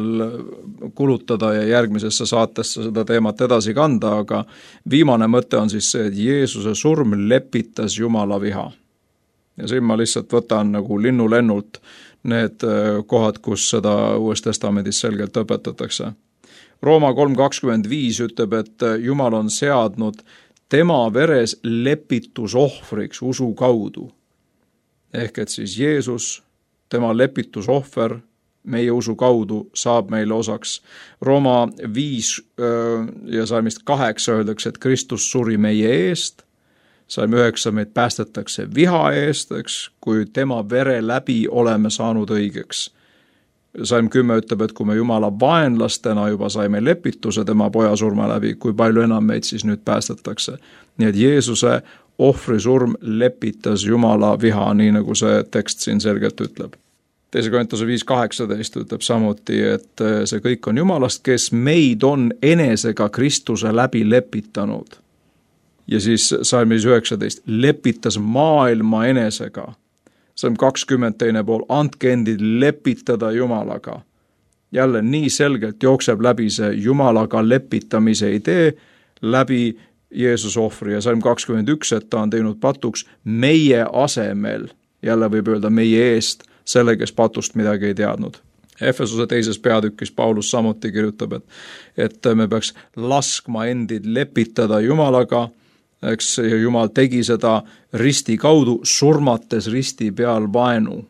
kulutada ja järgmisesse saatesse seda teemat edasi kanda, aga viimane mõte on siis see, et Jeesuse surm lepitas Jumala viha. Ja siin ma lihtsalt võtan nagu linnulennult need kohad, kus seda Uues Testamendis selgelt õpetatakse. Rooma kolm kakskümmend viis ütleb, et Jumal on seadnud tema veres lepitusohvriks usu kaudu. Ehk et siis Jeesus, tema lepitusohver meie usu kaudu saab meile osaks. Rooma viis ja salmist kaheksa öeldakse, et Kristus suri meie eest. Salm üheksa meid päästetakse viha eest, eks, kui tema vere läbi oleme saanud õigeks. Salm kümme ütleb, et kui me Jumala vaenlastena juba saime lepituse tema poja surma läbi, kui palju enam meid siis nüüd päästetakse. Nii et Jeesuse ohvrisurm lepitas Jumala viha, nii nagu see tekst siin selgelt ütleb. Teise Korintuse viis kaheksateist ütleb samuti, et see kõik on Jumalast, kes meid on enesega Kristuse läbi lepitanud. Ja siis salmis üheksateist, lepitas maailma enesega. Salm kakskümmend teine pool, andke endid lepitada Jumalaga. Jälle nii selgelt jookseb läbi see Jumalaga lepitamise idee läbi Jeesuse ohvri ja salm kakskümmend üks, et ta on teinud patuks meie asemel, jälle võib öelda meie eest, selle, kes patust midagi ei teadnud. Efesuse teises peatükis Paulus samuti kirjutab, et, et me peaks laskma endid lepitada Jumalaga, eks Jumal tegi seda risti kaudu, surmates risti peal vaenu.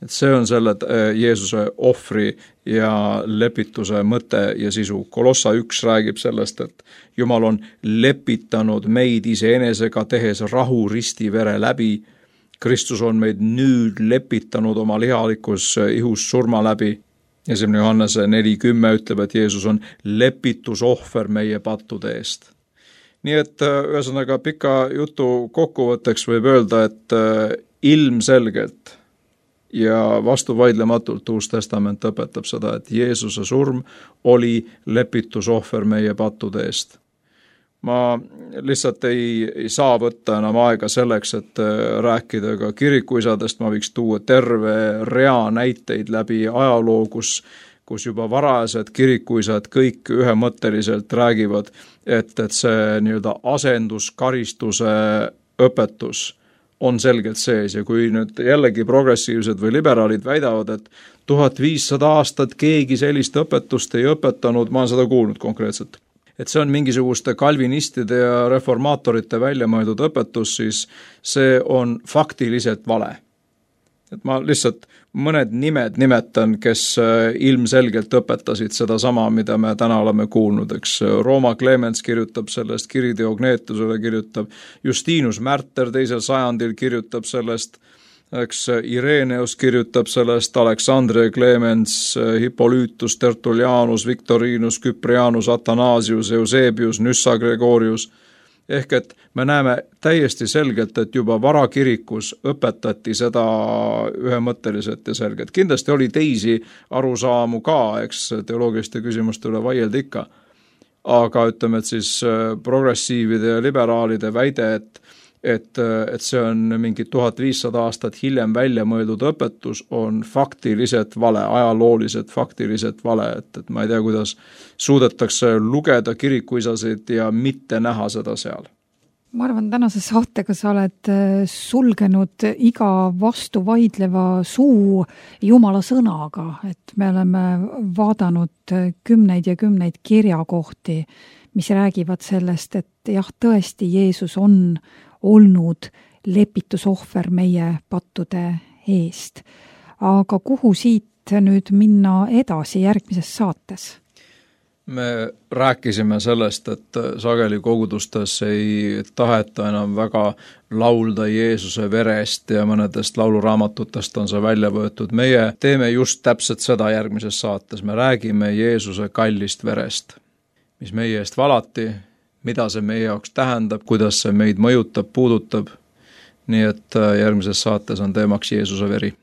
Et see on selle Jeesuse ohvri ja lepituse mõte ja sisu. Kolossa üks räägib sellest, et Jumal on lepitanud meid iseenesega, tehes rahu risti vere läbi. Kristus on meid nüüd lepitanud oma lihalikus ihus surma läbi. Esimene Johannese neli kümme ütleb, et Jeesus on lepitusohver meie pattude eest. Nii et ühesõnaga pika jutu kokkuvõtteks võib öelda, et ilmselgelt ja vastuvaidlematult Uus Testament õpetab seda, et Jeesuse surm oli lepitusohver meie pattude eest. Ma lihtsalt ei, ei saa võtta enam aega selleks, et rääkida ka kirikuisadest, ma võiks tuua terve rea näiteid läbi ajaloo, kus, kus juba varased kirikuisad kõik ühemõtteliselt räägivad, et, et see nii-öelda asenduskaristuse õpetus on selgelt sees ja kui nüüd jällegi progressiivsed või liberaalid väidavad, et tuhat viissada aastat keegi sellist õpetust ei õpetanud, ma olen seda kuulnud konkreetselt, et see on mingisuguste kalvinistide ja reformaatorite välja mõeldud õpetus, siis see on faktiliselt vale. Et ma lihtsalt mõned nimed nimetan, kes ilmselgelt õpetasid seda sama, mida me täna oleme kuulnud, eks Rooma Clemens kirjutab sellest, Kiri Diognetusele kirjutab, Justinus Märter teisel sajandil kirjutab sellest, eks Ireneus kirjutab sellest, Aleksandre Clemens, Hippolytus, Tertullianus, Victorinus, Cyprianus, Athanasius, Eusebius, Nyssa Gregorius. Ehk et me näeme täiesti selgelt, et juba varakirikus õpetati seda ühemõtteliselt ja selgelt. Kindlasti oli teisi arusaamu ka, eks teoloogiliste küsimuste üle vaielda ikka. Aga ütleme, et siis progressiivide ja liberaalide väide, et, et, et see on mingi tuhat viissada aastat hiljem välja mõeldud õpetus, on faktiliselt vale, ajalooliselt faktiliselt vale, et, et ma ei tea, kuidas suudetakse lugeda kirikuisasid ja mitte näha seda seal. Ma arvan, tänase saatega sa oled sulgenud iga vastu vaidleva suu Jumala sõnaga, et me oleme vaadanud kümneid ja kümneid kirjakohti, mis räägivad sellest, et jah, tõesti Jeesus on olnud lepitusohver meie pattude eest. Aga kuhu siit nüüd minna edasi järgmises saates? Me rääkisime sellest, et sageli kogudustes ei taheta enam väga laulda Jeesuse verest ja mõnedest lauluraamatutest on see välja võetud. Meie teeme just täpselt seda järgmises saates. Me räägime Jeesuse kallist verest, mis meie eest valati, mida see meie jaoks tähendab, kuidas see meid mõjutab, puudutab. Nii et järgmises saates on teemaks Jeesuse veri.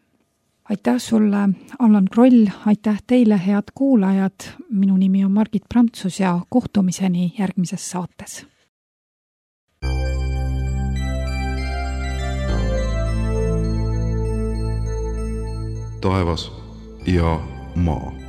Aitäh sulle, Allan Kroll, aitäh teile, head kuulajad. Minu nimi on Margit Prantsus ja kohtumiseni järgmises saates. Taevas ja maa.